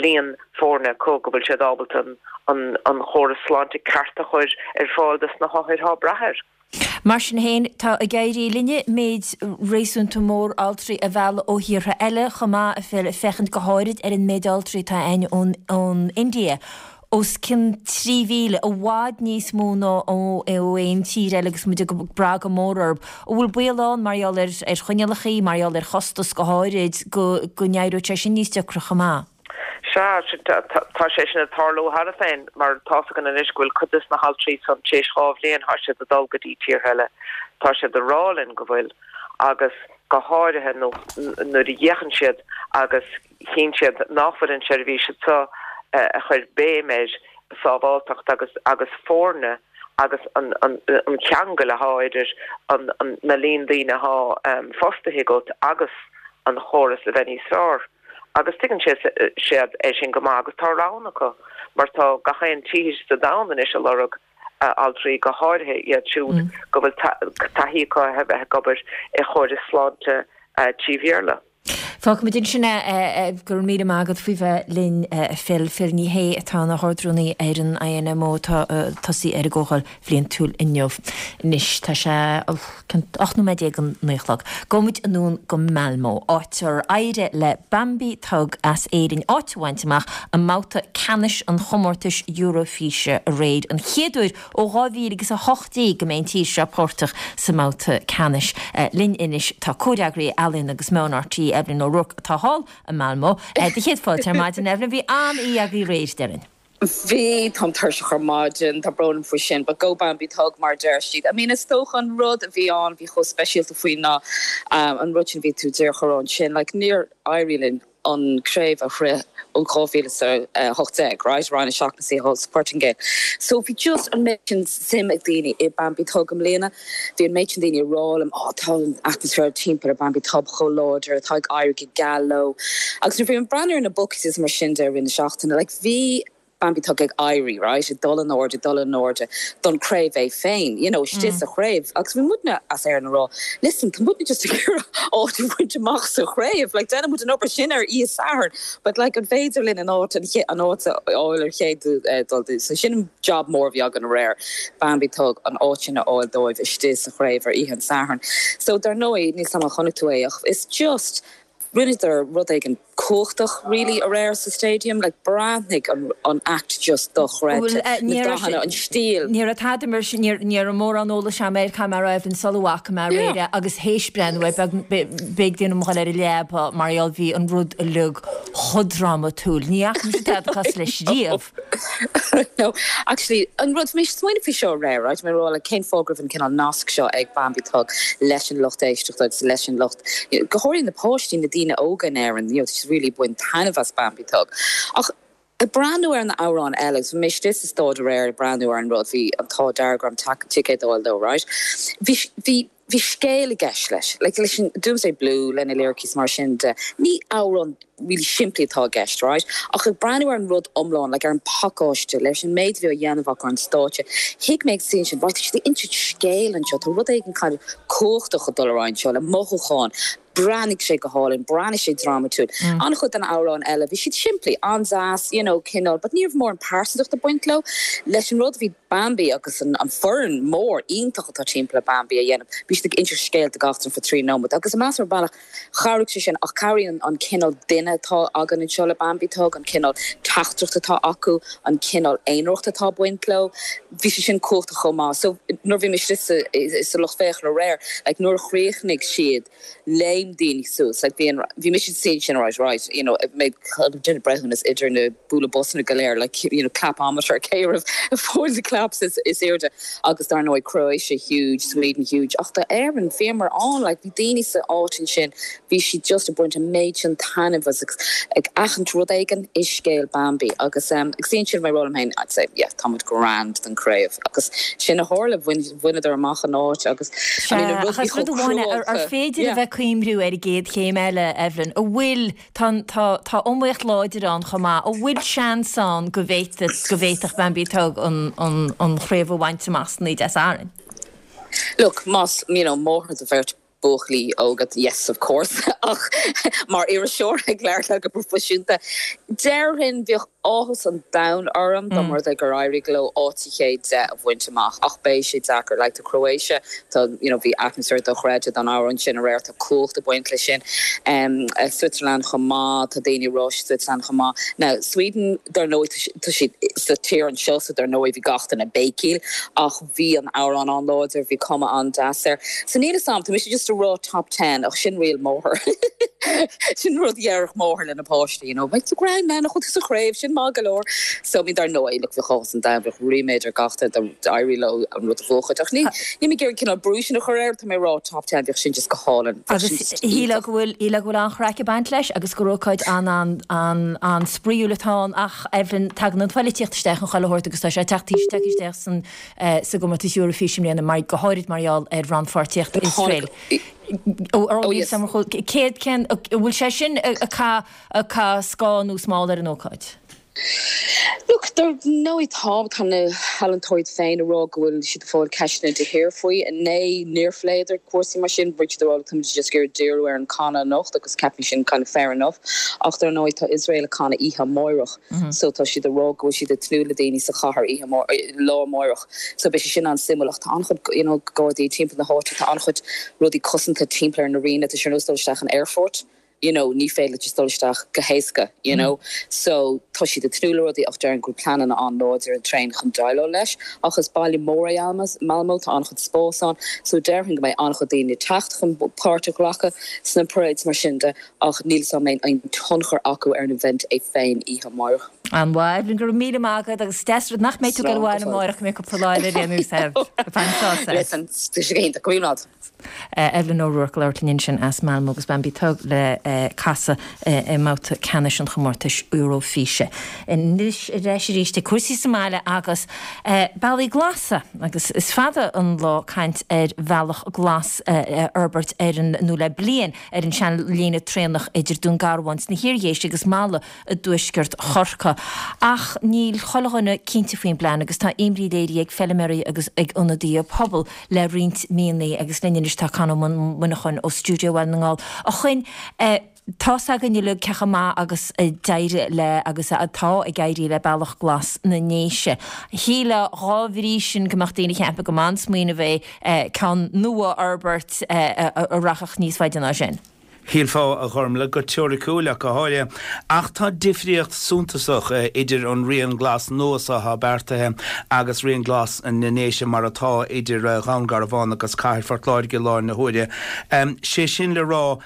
líon foirne acu go bhfuil siad ábalta an an chóras sláinte ceart a chur ar fáil dos na hothair atá ag brath air. Mar sin féin, tá ag éirí linne méid réasúnta mór altraí a mhealladh ó thíortha eile chomh maith, a Phil, féachaint go háirid ar an méid altraí atá againn ón India. os cionn 3,000, i bhfad níos mó ná ó aon tír eile agus muid ag brath go mór orthu. An bhfuil baol ann, mar gheall ar choinníollacha, mar gheall ar chostas go háirid, go n-éireoidh sé sin níos deacra chomh maith? Sea, tá sé sin ag tarlú cheana féin, mar tá's againn anois go bhfuil cuid des na haltraí san tar éis 2 bhliain, tá siad ag dul go dtí tíortha eile. Tá siad ag rá linn go bhfuil, agus go háirithe nuair a fhéachann siad agus Chíonn siad nach bhfuil an tseirbhís anseo a chuir béim ar sábháilteacht agus agus foirne agus an an ceangal athá idir an na líon daoine athá fostaithe agat agus an chóras a bheith níos fearr. Agus tuigeann siad é sin go maith agus tá roghanna acu mar tá gach aon tír sa domhan anois ag lorg altraí, go háirithe iad siúd go bhfuil taithí acu a bheith ag obair i chórais sláinte trí Bhéarla. Fágfaimid ansin é. Go raibh míle maith agat faoi bheith linn a Phil. Phil Ní Sheaghdha atá ina hArd-Rúnaí ar an INMO atá ag tosaí ar an gcomhdháil bhliantúil inniu. Anois tá sé 18 nóiméad don 9 a chlog. Gabhfaimid anonn go Malmo, áit ar éirigh le Bambi Thug as Éirinn áit a bhaint amach i mbabhta ceannais an chomórtais Eurofíse aréir, an chéad uair Ó 2018 go mbeidh an tír seo páirteach sa mbabhta ceannais. Linn anois tá comhfhreagraí Ealaíon agus Meán RTÉ, Evelyn O'Rourke, atá thall i Malmö. Do chéad fáilte ar maidin, Evelyn. Bhí an-oíche agaibh aréir, déarfainn. Bhí, táim tuirseach ar maidin, tá brón orm faoi sin, but go Bambi Thug mar a deir siad. I mean is dócha an rud a bhí ann, a bhí chomh speisialta faoi ná an rud sin a bhí tú díreach a rá ansin, like níor éirigh linn an craobh a shroich ó 2018, right, Roinn 7 na thall sa Portaingéil. So bhí just an méid sin suim ag daoine i Bambi Thug i mbliana. Bhí an méid sin daoine ag rá liom, oh tá an atmaisféar timpeall ar Bambi Thug chomh láidir, tá ag éirí go geal leo. Agus nuair a bhí mé ag breathnú ar na bookies is mar sin de i rith na seachtaine, like bhí Bambi Thug ag éirí, right, ag dul in airde, ag dul in airde don chraobh é féin, you know, istigh sa chraobh. Agus bhí muidne as Éirinn ag rá, listen, tá muidne just ag iarraidh áit a bhaint amach sa chraobh, like déanann muid an obair sin ar oíche Sathairn, but like an féidir linn an áit, an áit a fháil ar chéad dul dúinn. So sin an job mór a bhí againn aréir, Bambi Thug, an áit sin a fháil dóibh istigh sa chraobh ar oíche an Sathairn. So dar ndóigh, níl 's a'm an chonaic tú é ach it's just, rinneadar rud éigin. cumhachtach really aréir sa stadium, like breathnaigh an an act just dochreidte, na dathanna, an stíl. Ní raibh tada mar sin, ní raibh mórán eolais agam air, caithfidh mé a rá Evelyn sula bhfaca mé aréir é agus théis breathnú air, b'éigean dom a dhul ar an leaba mar gheall bhí an rud uilig chomh drámatúil. Ní fhaca mise tada cosúil leis riamh. No, actually, an rud, bhí mé ag smaoineamh faoi seo aréir, right, mé ag rá like cén fáth go raibh an cineál nasc seo ag Bambi Thug leis an lucht éisteachta agus leis an lucht, you know, go háirithe na páistí, na daoine óga in Éirinn, you know, tá siad really ag baint taitneamh as Bambi Thug. Ach ag breathnú ar na amhráin eile, agus bhí mé istigh sa stáid aréir ag breathnú ar an rud, bhí an t-ádh dearg orm ticéad a fháil dó, right, bhí, bhí, bhí scéal i gceist leis, like leis an Doomsday Blue, lena lyricí is mar sin de, ní amhrán really simplí atá i gceist, right? Ach ag breathnú ar an rud iomlán, like ar an pacáiste, leis an méid a bhí á dhéanamh acu ar an stáitse, thuig mé ag suí ansin, right, tá siad ag insint scéil anseo, tá rud éigin kind of cumhachtach ag dul ar aghaidh anseo, le mothúcháin, breathnaigh sé go hálainn, breathnaigh sé drámatúil. An-chuid de na amhráin eile, bhí siad simplí, an-deas, you know, cineál, but ní raibh mórán pearsantacht ag baint leo. Leis an rud a bhí Bambi agus an foireann mór iontach atá timpeall ar Bambi a dhéanamh, bhí siad ag insint scéal do gach duine for 3 nóiméad agus meas ar bhealach chabhraigh sé sin ach cabhraíonn an cineál duine atá againn anseo le Bambi Thug, an cineál teachtaireacht atá acu, an cineál aonaracht atá ag baint leo, bhí sé sin cumhachtach chomh maith. So nuair a bhí mé istigh sa lucht féachana aréir, like nuair a chríochnaigh siad, léim daoine suas, like bhí an, bhí mise sa suí sin right, right, you know, mé ag déanamh breithiúnas idir na bualadh bosanna go léir, like, you know, clapometer, cé raibh ag fáil na claps is, is airde agus dar ndóigh Croatia huge, Sweden huge ach do Éirinn bhíomar ann, like bhí daoine sa áit ansin, bhí siad just ag baint an méid sin taitneamh as agus ag aithint rud éigin i scéal Bambi agus um, agus ansin mé ag rá liom féin, I'd say, yeah, tá muid grand don craobh agus sin a tharla, bhain, bhaineadar amach an áit agus I mean, an rud a bhí chomh cruálta. Ar féidir a bheith ag cuimhniú ar an gcéad chéim eile, Evelyn, an bhfuil, tá, tá, tá iomaíocht láidir ann chomh maith, an bhfuil seans ann go bhféadfadh, go bhféadfadh Bambi Thug an, an, an chraobh a bhaint amach san Oíche Dé Sathairn? Look, más, you know, máthair do bheirt buachaillí óga, yes of course, ach mar iriseoir ag labhairt leat go proifisiúnta, déarfainn, bheadh áthas an domhain orm dá mba rud é gur éirigh leo áit sa chéad 10 a bhaint amach ach beidh sé deacair, like tá Croatia, tá, you know, bhí atmaisféar dochreidte don amhrán sin aréir, tá cumhacht ag baint leis sin. Switzerland chomh maith, tá daoine ag rá Switzerland chomh maith. Now, Sweden, dar ndóigh, tá siad sa tír anseo so dar ndóigh bhí gach duine ag béicíl ach, Bhí an amhrán an-láidir, bhí cuma an-deas air. So níl 'fhios a'm, tá mise just ag rá top ten ach sin riail máthar. Sin rud a déarfadh máthair lena páistí, you know, beidh tú grand now, nach bhfuil tú sa chraobh, sin maith go leor. So I mean dar ndóigh, look, bheadh áthas an domhain, bheadh ríméad ar gach duine dá n-éireodh leo an rud a bhuachaint. Ach ní, níl mé ag iarraidh cineál brú sin a chur air, tá mé ag rá top ten, bheadh sin just go hálainn, bheadh sin Agus just shílfeá iontach. go bhfuil, shílfeá go bhfuil an-chraic ag baint leis agus gur ócáid an-an-an-an-spraíúil atá ann ach Evelyn, tagann an phoilitíocht isteach in chuile shórt agus tá sé ag teacht, tagtha isteach san sa gcomórtas Eurofís i mbliana, mar, go háirid mar gheall ar rannpháirtíocht Iosrael. Céard, cén, an bhfuil sé sin ag caitheamh scáth nó smál ar an ócáid? Look, dar ndóigh tá, tá na healaíontóirí féin ag rá go bhfuil siad ag fáil ceisteanna de shíor faoi. Inné níor phléadar cúrsaí mar sin, bhí siad ag rá look táimid just ag iarraidh díriú ar an canadh anocht agus ceapaim sin kind of fair enough. Ach dar ndóigh tá Iosrael ag canadh oíche amáireach. So tá siad ag rá go bhfuil siad ag tnúth le daoine sa chathair oíche lá amáireach. So beidh sé sin an-suimiúil ach tá an-chuid you know gardaí timpeall na háite, tá an-chuid rudaí cosanta timpeall ar an arena, tá sé ar nós dul isteach in aerfort, you know ní féidir leat just dul isteach go héasca, you know. So tá siad ag tnúth le rudaí ach déarfainn go bhfuil pleananna an-láidir tréan chun déileáil leis. Ach is baile mór é Malmö, tá an-chuid spás ann, so déarfainn go mbeidh an-chuid daoine ag teacht chun páirt a ghlacadh sna parades mar sin de. Ach níl 'fhios a'm an mbeidh aon tionchar acu ar an event é féin oíche amárach. An-mhaith, Evelyn, go raibh míle maith agat agus deas rud nach mbeidh tú ag dul abhaile amárach go mbeidh cúpla lá eile ar aon nós agat. Bain sás as. Listen, tá sé go hiontach, go raibh míle maith agat. Evelyn O'Rourke ag labhairt linn ansin as Malmö agus Bambi Thug le casadh i mbabhta ceannais an chomórtais Eurofíse. Anois ar ais arís ag cúrsaí sa mbaile agus bealaí glasa agus is fada an lá caint ar bhealach glas a fhorbairt ar an nó le bliain ar an seanlíne traenach idir Dún Garbhán sna hIar-Dhéise agus Mala i dtuaisceart Chorcaí. Ach níl chuile dhuine cinnte faoin bplean agus tá imní léirithe ag feilméaraí agus ag ionadaithe pobail le roinnt míonna agus linn anois tá Conn Ó Muineacháin ó Stiúideo Bhaile na nGall. A Choinn, tá's againn uilig cé chomh maith agus a d'éirigh le agus atá ag éirí le Bealach Glas na nDéise. Shílfeá dhá bhrí sin go mbeadh daoine ag ceapadh go mb'an-smaoineamh é ceann nua a fhorbairt a rachadh níos faide ná sin. Shílfeá, a Ghormlaith, go teoiriciúil ach go háirithe. Ach tá difríocht suntasach idir an Rian Glas nua so atá beartaithe agus Rian Glas na nDéise mar atá idir Dhún Garbhán agus Cathair Phort Láirge i láthair na huaire. Sé sin le rá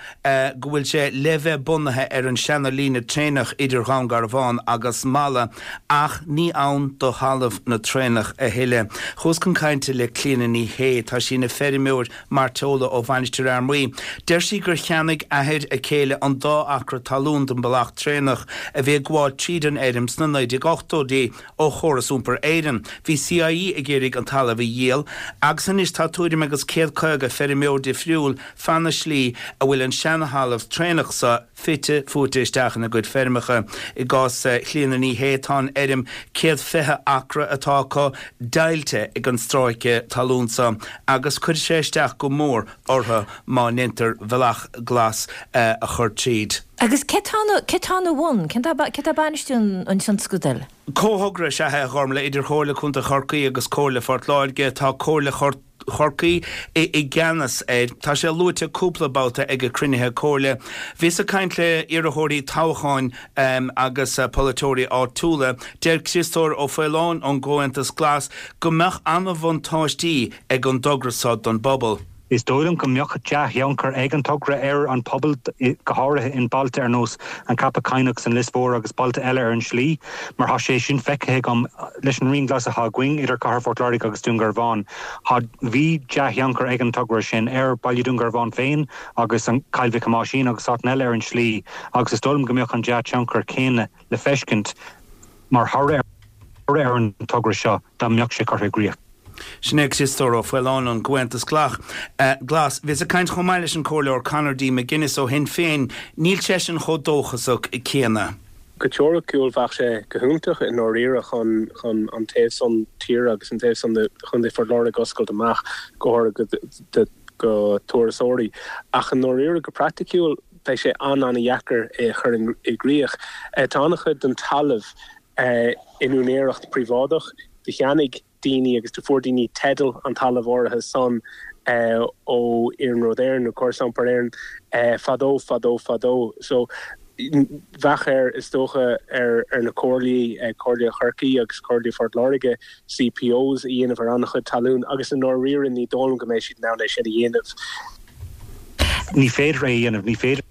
go bhfuil sé le bheith bunaithe ar an seana líne traenach idir Dhún Garbhán agus Mala ach ní ann do thalamh na traenach a thuilleadh. Chuas chun cainte le Clíona Ní Shé. Tá sí ina feirmeoir mairteola ó Mhainistir Fhear Maí. Deir sí gur cheannaigh athair a céile an dá acra talún den bealach traenach a bhí ag gabháil tríd an fheirm sna 1980idí ó Chóras Iompair Éireann. Bhí CIE ag iarraidh an talamh a dhíol agus anois tá tuairim agus 150 feirmeoir difriúil feadh na slí a bhfuil an seana-thalamh traenach so fite fuaite isteach ina gcuid feirmeacha. I gcás Chlíona Ní Shé, tá an fheirm 120 acra atá acu deighilte ag an stráice talún so agus cuirfidh sé isteach go mór orthu má ndeintear bealach glas a chur tríd. Agus cé tá cé tá ina bhun? Cén tá cé tá ag bainistiú an tionscadail? Comhthogra is ea é, a Ghormlaith, idir Chomhairle Contae Chorcaí agus Comhairle Phort Láirge. Tá Comhairle Chorcaí i gceannas air. Tá sé luaite cúpla babhta ag cruinnithe comhairle. Bhíos ag caint le iarrthóirí toghcháin agus polaiteoirí áitiúla. Deir Criostóir Ó Faoláin ón gComhaontas Glas go mbeadh an-bhuntáistí ag an dtogra seo don bpobal. Is dóigh liom go mbeadh dea-thionchar ag an togra ar an pobal, go háirithe in bailte ar nós An Ceapach Cadhnach 's an Lios Mhór agus bailte eile ar an slí, mar tá sé sin feicthe agam leis an Rian Glas atá againn idir Cathair Phort Láirge agus Dún Garbhán. Tá, bhí dea-thionchar ag an togra sin ar Baile Dún Garbhán féin agus an Cill Mhic Thomáisín agus áiteanna eile ar an slí agus is dóigh liom go mbeadh an dea-thionchar céanna le feiscint mar thoradh ar an togra seo dá mbeadh sé curtha i gcrích. Sin é Criostóir Ó Faoláin ón gComhaontas Glas. Bhíos ag caint chomh maith leis an Comhairleoir Conor D. McGuinness ó Shinn Féin. Níl seisean chomh dóchasach céanna. Go teoiriciúil bheadh sé go hiontach i ndáiríre chun chun an taobh san tíre agus an taobh san de Chontae Phort Láirge a oscailt amach go háirithe go go turasóirí. Ach i ndáiríre go praiticiúil beidh sé an-an-dheacair é a chur i gcrích. Tá an-chuid den talamh in úinéireacht príobháideach. Do cheannaigh daoine agus do fuair daoine teideal an talamh áirithe san ó Iarnród Éireann nó Córas Iompair Éireann fadó, fadó, fadó. So bheadh air, is dócha, ar na comhairlí, Comhairle Chorcaí agus Comhairle Phort Láirge, CPOs a dhéanamh ar an-chuid talún agus i ndáiríre ní dóigh liom go mbeidh siad in ann é sin a dhéanamh. Ní féidir é a dhéanamh, ní féidir.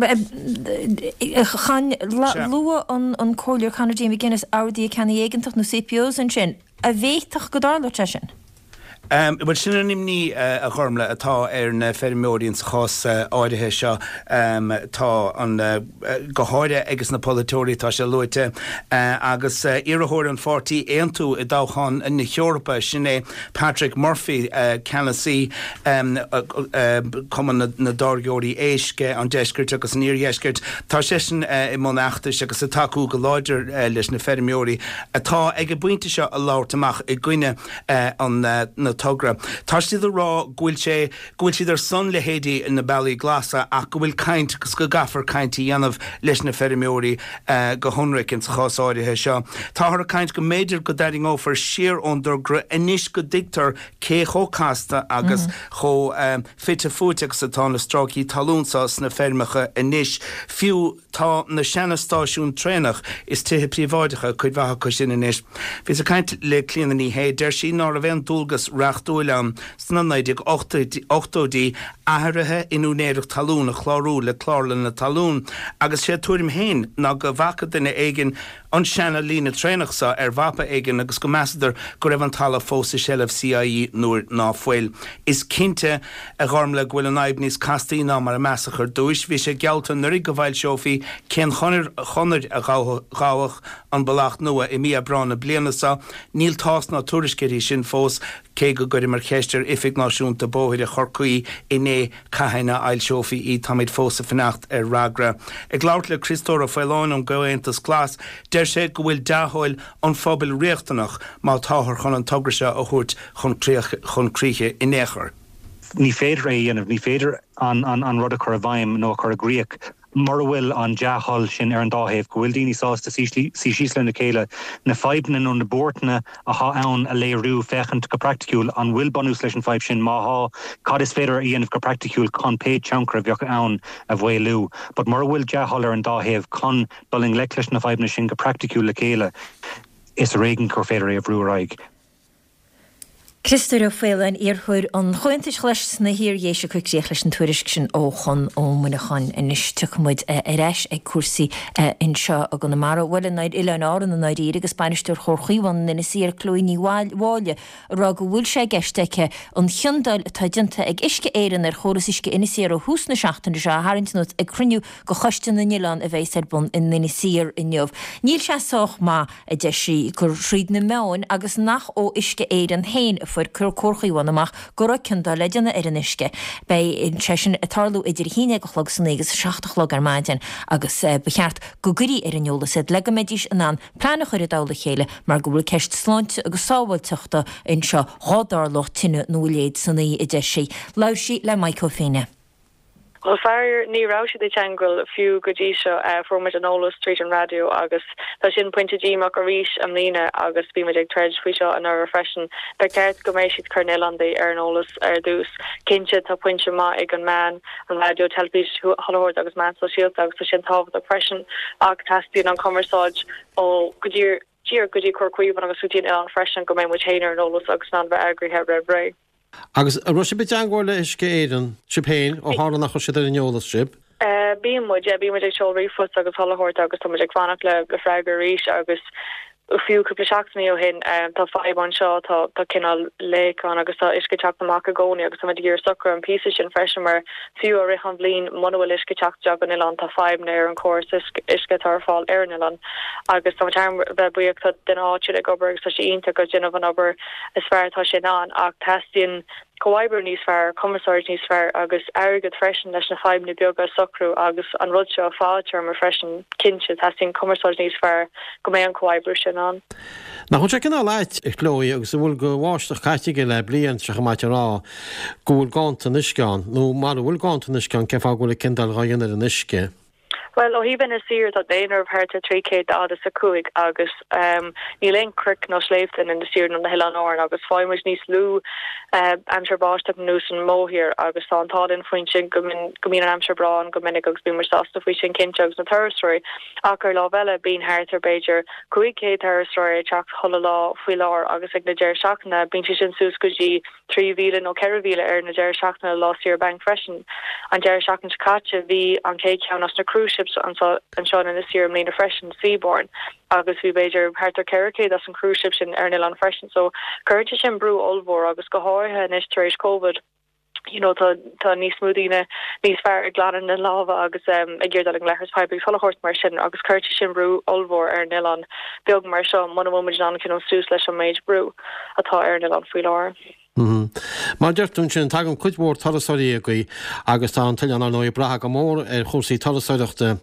Chan luaigh an Comhairleoir Conor D. McGuinness Orduithe Ceannaigh Éigeantach nó CPOs ansin. An bhféadfadh go dtarlódh sé sin? Bhuel, sin an imní, a Ghormlaith, atá ar na feirmeoirí insa chás áirithe seo. Tá an, go háirithe ages na polaiteoirí, tá sé luaite, agus iarrthóir an pháirtí Aontú i dtoghchán na hEorpa, sin é Patrick Murphy, ceannasaí Cumann na dTáirgeoirí Éisc an Deiscirt agus an Iardheiscirt. Tá seisean i mbun fheachtais agus ag tacú go láidir leis na feirmeoirí atá ag an bpointe seo ag labhairt amach i gcoinne an na togra. Tá siad ag rá go bhfuil sé, go bhfuil siad ar son leithéidí na bealaí glasa ach go bhfuil caint agus go gcaithfear caint a dhéanamh leis na feirmeoirí go hionraic insa chás áirithe seo. Táthar ag caint go mb'fhéidir go dtarraingeofar siar ón dtogra anois go dtuigtear cé chomh casta agus chomh fite fuaite agus atá na stráicí talún seo sna feirmeacha anois. Fiú tá na seana-stáisiúin traenach is tithe príobháideacha, cuid mhaith acu sin anois. Bhíos ag caint le Clíona Ní Shé, deir sí ná raibh aon dualgas reachtúil ann sna 1980idí athruithe in úinéireacht talún a chlárú le Clárlann na Talún agus sé a tuairim féin ná go bhfaca duine éigin an seana líne traenach seo ar mhapa éigin agus go measadar go raibh an talamh fós i seilbh CIE nuair ná fuil. Is cinnte, a Ghormlaith, go bhfuil an fhadhb níos castaí ná mar a measadh ar dtúis. Bhí sé geallta anuraidh go bhfoilseofaí cén chonair a ghabhfadh an bealach nua i mí Aibreáin na bliana seo. Níl tásc ná tuairisc uirthi sin fós, cé go gcuireamar ceist ar Oifig Náisiúnta Bóithre Chorcaí inné cathain a fhoilseofaí í, táimid fós ag fanacht ar fhreagra. Ag labhairt le Criostóir Ó Faoláin ón gComhaontas Glas, deir sé go bhfuil dea-thoil an phobail riachtanach má táthar chun an togra seo a thabhairt chun críche in aon chor. Ní féidir é a dhéanamh, ní féidir an rud a chur i bhfeidhm nó a chur i gcrích. Mura bhfuil an dea-thoil sin ar an dá thaobh, go bhfuil daoine sásta suí síos lena chéile, na fadhbanna nó na buairteanna athá ann a léiriú, féachaint go praiticiúil an bhfuil bunús leis an fadhb sin, má thá, cad is féidir a dhéanamh go praiticiúil chun pé tionchar a bheadh ann a mhaolú. But mura bhfuil dea-thoil ar an dá thaobh chun dul i ngleic leis na fadhbanna sin go praiticiúil le chéile, is ar éigean gur féidir é a bhrú ar aghaidh. Criostóir Ó Faoláin, iarrthóir an Chomhaontais Ghlais sna hIar-Dhéise ag cur críoch leis an tuairisc sin ó Chonn Ó Muineacháin. Anois tiocfaidh muid ar ais ag cúrsaí anseo i gConamara, bhuel in Oileáin Árann i ndáiríre agus bainisteoir Chomhar Chaomhán in Inis Oírr, Chloe Ní Mháille, ag rá go bhfuil sé i gceist aici an chiondáil atá déanta ag Uisce Éireann ar chóras uisce Inis Oírr ó thús na seachtaine seo a tharraingt anuas ag cruinniú de Choiste na nOileán a bheas ar bun in Inis Oírr inniu. Níl sé sách maith a deir sí, gur thríd na meáin agus nach ó Uisce Éireann féin a fuair Comhar Chaomhán amach go raibh ciondáil le déanamh ar an uisce. Beidh sé sin ag tarlú idir 11 a chlog san oíche agus 7 a chlog ar maidin agus ba cheart go gcuirí ar an eolas iad le go mbeidís in ann plean a chur i dtoll a chéile mar go bhfuil ceist sláinte agus sábháilteachta anseo dhá dtarlódh tine nó a leithéid san oíche, a deir sí. Labhair sí le Maidhc Ó Fianna. Bhuel, faraor, ní raibh siad i dteangmhail fiú go dtí seo. Fuair muid an eolas tríd an raidió agus tá sin pointe díomách arís i mbliana agus bhí muid ag troid faoi seo anuraidh freisin. Ba cheart go mbeidh siad cur na n-oileándaigh ar an eolas ar dtús. Cinnte, tá pointe maith ag an meán, an raidió, teilifís, chuile shórt agus meán sóisialta agus tá sin tábhachtach freisin ach teastaíonn an cumarsáid ó go díreach go dtí Comhar Caomhán agus go dtí an oileán freisin go mbeidh muid féin ar an eolas agus in ann bheith eagraithe roimh ré. Agus an raibh sibh i dteangmháil le Uisce Éireann, sibh féin, ó tharla nach raibh siad ar an eolas sibh? Bíonn muid, yeah, bíonn muid ag seoladh ríomhphost agus chuile shórt agus tá muid ag fanacht le le freagra arís agus fiú cúpla seachtainí ó shin tá fadhb anseo, tá tá cineál leak ann agus tá uisce ag teacht amach i gcónaí agus tá muid ag iarraidh socrú an píosa sin freisin mar fiú i rith an bhliain muna bhfuil uisce ag teacht isteach an oileán tá fadhbanna ar an córas uisce atá ar fáil ar an oileán agus tá muid thar a bheith buíoch tá duine áitiúil ag obair agus tá sé iontach ag déanamh an obair is fearr atá sé in ann, ach teastaíonn comhoibriú níos fearr, cumarsáid níos fearr agus airgead freisin leis na fadhbanna beaga a socrú agus an rud seo fadtéarma freisin. Cinnte, teastaíonn cumarsáid níos fearr go mbeidh an comhoibriú sin ann. Nach bhfuil sé cineál ait, a Chloe, agus an bhfuil de bháisteach caite againn le bliain, tá sé chomh maith a rá go bhfuil ganntan uisce ann, nó mara bhfuil ganntan uisce ann, cén fáth go bhfuil an ciondáil dhá dhéanamh ar an uisce? Bhuel, ó thaobh Inis Oírr, tá daonradh thart ar 345 agus níl aon chnoic nó sléibhte in Inis Oírr nó na hOileáin Árann agus faigheann muid níos lú aimsir báisteach ar nós an mórthír agus tá an t-ádh linn faoin sin go mbíonn an aimsir breá ann go minic agus bíonn muid sásta faoi sin cinnte agus na turasóirí ach ar lámh eile bíonn thart ar b'fhéidir 500 turasóir ag teacht chuile lá faoi láthair agus ag na deireadh seachtaine bíonn sé sin suas go dtí 3,000 nó 4,000 ar na deireadh seachtaine lá saoire bainc freisin. An deireadh seachtaine seo caite bhí an chéad cheann as na cruise ships anseo in Inis Oírr i mbliana freisin, Seabourn, agus bhí b'fhéidir thart ar 400 as an cruise ship sin ar an oileán freisin. So cuireann sé sin brú ollmhór agus go háirithe anois tar éis Covid, you know tá tá níos mó daoine níos fearr ag glanadh na lámha agus ag iarraidh dul ag an leithreas poiblí agus chuile shórt mar sin agus cuireann sé sin brú ollmhór ar an oileán beag mar seo muna bhfuil muid in ann coinneáil suas leis an méid brú. atá ar an oileán faoi láthair. Mar a deir tú ansin, tagann cuid mhór turasóirí agaibh agus tá an t-oileán, ar ndóigh, ag brath go mór ar chúrsaí turasóireachta.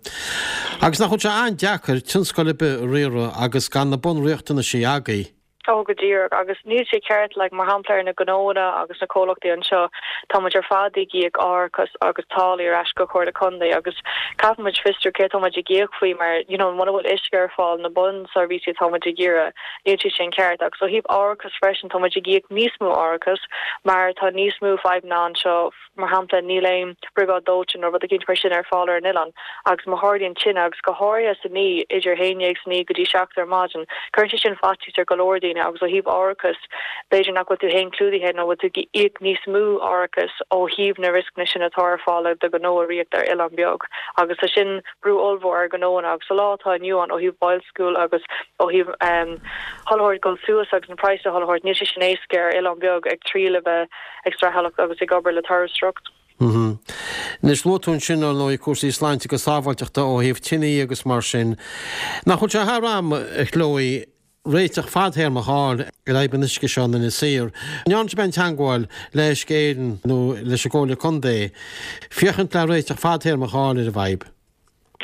Agus nach bhfuil sé an-deacair tionscal ar bith a riaradh agus gan na bunriachtanaisí agaibh? Ó, go díreach. Agus níl sé ceart, like, mar shampla ar na gnóanna agus na comhlachtaí anseo, tá muid ar fad ag íoc árachas agus táillí ar ais go Comhairle Contae agus caithfidh muid fiosrú céard tá muid ag íoc faoi mar, you know, muna bhfuil uisce ar fáil, na bunseirbhísí atá muid ag iarraidh, Níl sé sin ceart. Agus ó thaobh árachas freisin, tá muid ag íoc níos mó árachas mar tá níos mó fadhbanna anseo, mar shampla níl aon briogáid dóiteáin nó rud eicínt mar sin ar fáil ar an oileán agus má tharlaíonn tine, agus go háirithe san oíche, idir a haon dhéag san oíche go dtí seacht ar maidin, cuireann sé sin faitíos ar go leor daoine agus ó thaobh árachas, b'fhéidir nach bhfuil tú féin clúdaithe nó bhfuil tú ag íoc níos mó árachas ó thaobh na rioscanna sin atá ar fáil do ghnó a ritheacht ar oileán beag agus tá sin brú ollmhór ar ghnóanna agus sa lá atá inniu ann ó thaobh boilsciú agus ó thaobh chuile shórt ag dul suas agus na praghsanna chuile shórt, níl sé sin éasca ar oileán beag ag triail a bheith ag streachailt agus ag obair le turasóireacht. Anois, luaigh tú ansin, ar ndóigh, cúrsaí sláinte agus sábháilteachta ó thaobh tiní agus mar sin. Nach bhfuil sé thar am, a Chloe, réiteach fadthéarmach a fháil ar fhadhb an uisce seo in Inis Oírr. An ndearna sibh aon teagmháil le Uisce Éireann nó leis an gComhairle Contae féachaint le réiteach fadthéarmach a fháil ar an bhfadhb?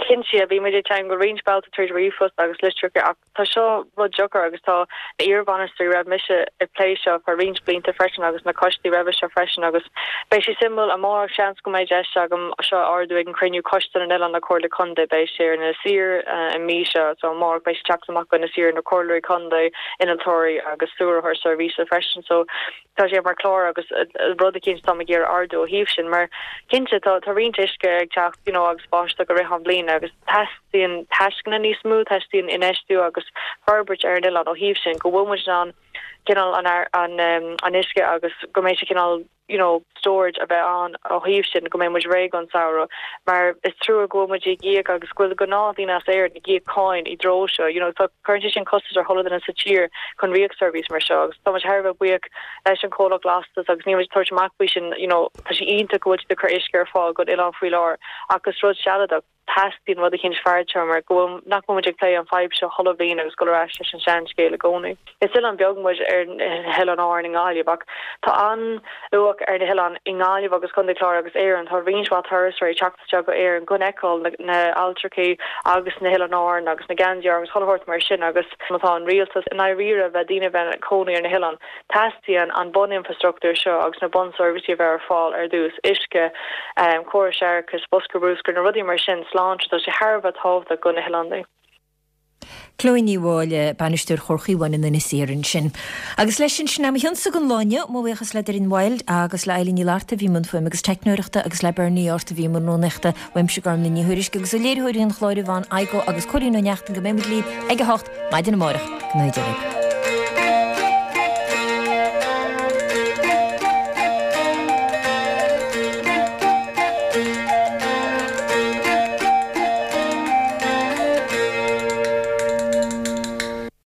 Cinnte, bhí muid ag teagmháil roinnt babhta tríd ríomhphost agus litreacha ach tá seo rud deacair agus tá na iarbhainisteoirí roimh mise ag plé seo feadh roinnt blianta freisin agus na coistí roimhe seo freisin agus beidh sé suimiúil amárach seans go mbeidh deis agam seo a ardú ag an cruinniú Coiste na nOileán na Comhairle Contae beidh sé ar Inis Oírr an mí seo so amárach beidh sé teacht amach go Inis Oírr na Comhairleoirí Contae, innealtóirí agus stiúrthóir seirbhíse freisin so Tá sé mar chlár agus rud eicínt táim ag iarraidh ardú ó thaobh sin mar cinnte tá tá roinnt uisce ag teacht you know agus báisteach i rith an bhliain agus teastaíonn taisceanna níos mó, teastaíonn infheistiú agus forbairt ar an oileán ó thaobh sin go bhfuil muid in ann cineál an an an uisce agus go mbeidh sé cineál you know storage a bheith ann ó thaobh sin go mbeidh muid réidh don samhradh mar is trua go bhfuil muid ag íoc agus go bhfuil gnáthdhaoine as Éirinn ag íoc cáin i dtreo seo you know tá cuireann sé sin costas ar chuile duine sa tír chun ritheadh seirbhís mar seo agus tá muid thar a bheith buíoch leis an chomhlacht lastas agus níl muid ag tabhairt amach faoi sin you know tá sé iontach go bhfuil siad ag cur uisce ar fáil don oileán faoi láthair ach is rud sealadach teastaíonn rud eicínt fadtéarma go bhfuil nach bhfuil muid ag plé an fadhb seo chuile bhliain agus dul ar ais leis an sean-scéal i gcónaí. Is oileán beag muid ar na hOileáin Árann i nGaillimh ach tá an-luach ar na hoileáin i nGaillimh agus Contae Chláir agus Éirinn. Tá roinnt mhaith turasóirí ag teacht isteach go Éirinn chun fheiceáil na hAlltrachaí agus na hOileáin Árann agus na geansaí agus chuile shórt mar sin agus má tá an rialtas i ndáiríre bheith daoine a bheith ina cónaí ar na hoileáin teastaíonn an bun-infrastruchtúr seo agus na bun-seirbhísí a bheith ar fáil ar dtús, uisce, córais séarachais, bosca bruscair, na rudaí mar sin, sláinte, tá sé thar a bheith tábhachtach do na hoileáin. Chloe Ní Mháille, Bainisteoir Chomhar Chaomháin in Inis Oírr ansin. Agus leis sin, sin é mo chionsa don lá inniu. Mo bhuíochas le Doireann Wilde agus le Eilín Ní Fhlatharta a bhí i mbun fuaime agus teicneoireachta agus le Bernie Art a bhí i mbun rúnaíochta. Uaimse Gormlaith Ní Thuairisg agus ó léiritheoirí an chláir Yvonne Igoe agus Cóilín Ó Neachtain go mbeidh muid libh ag a hocht maidin amárach. Go ngnóthaí Dia libh.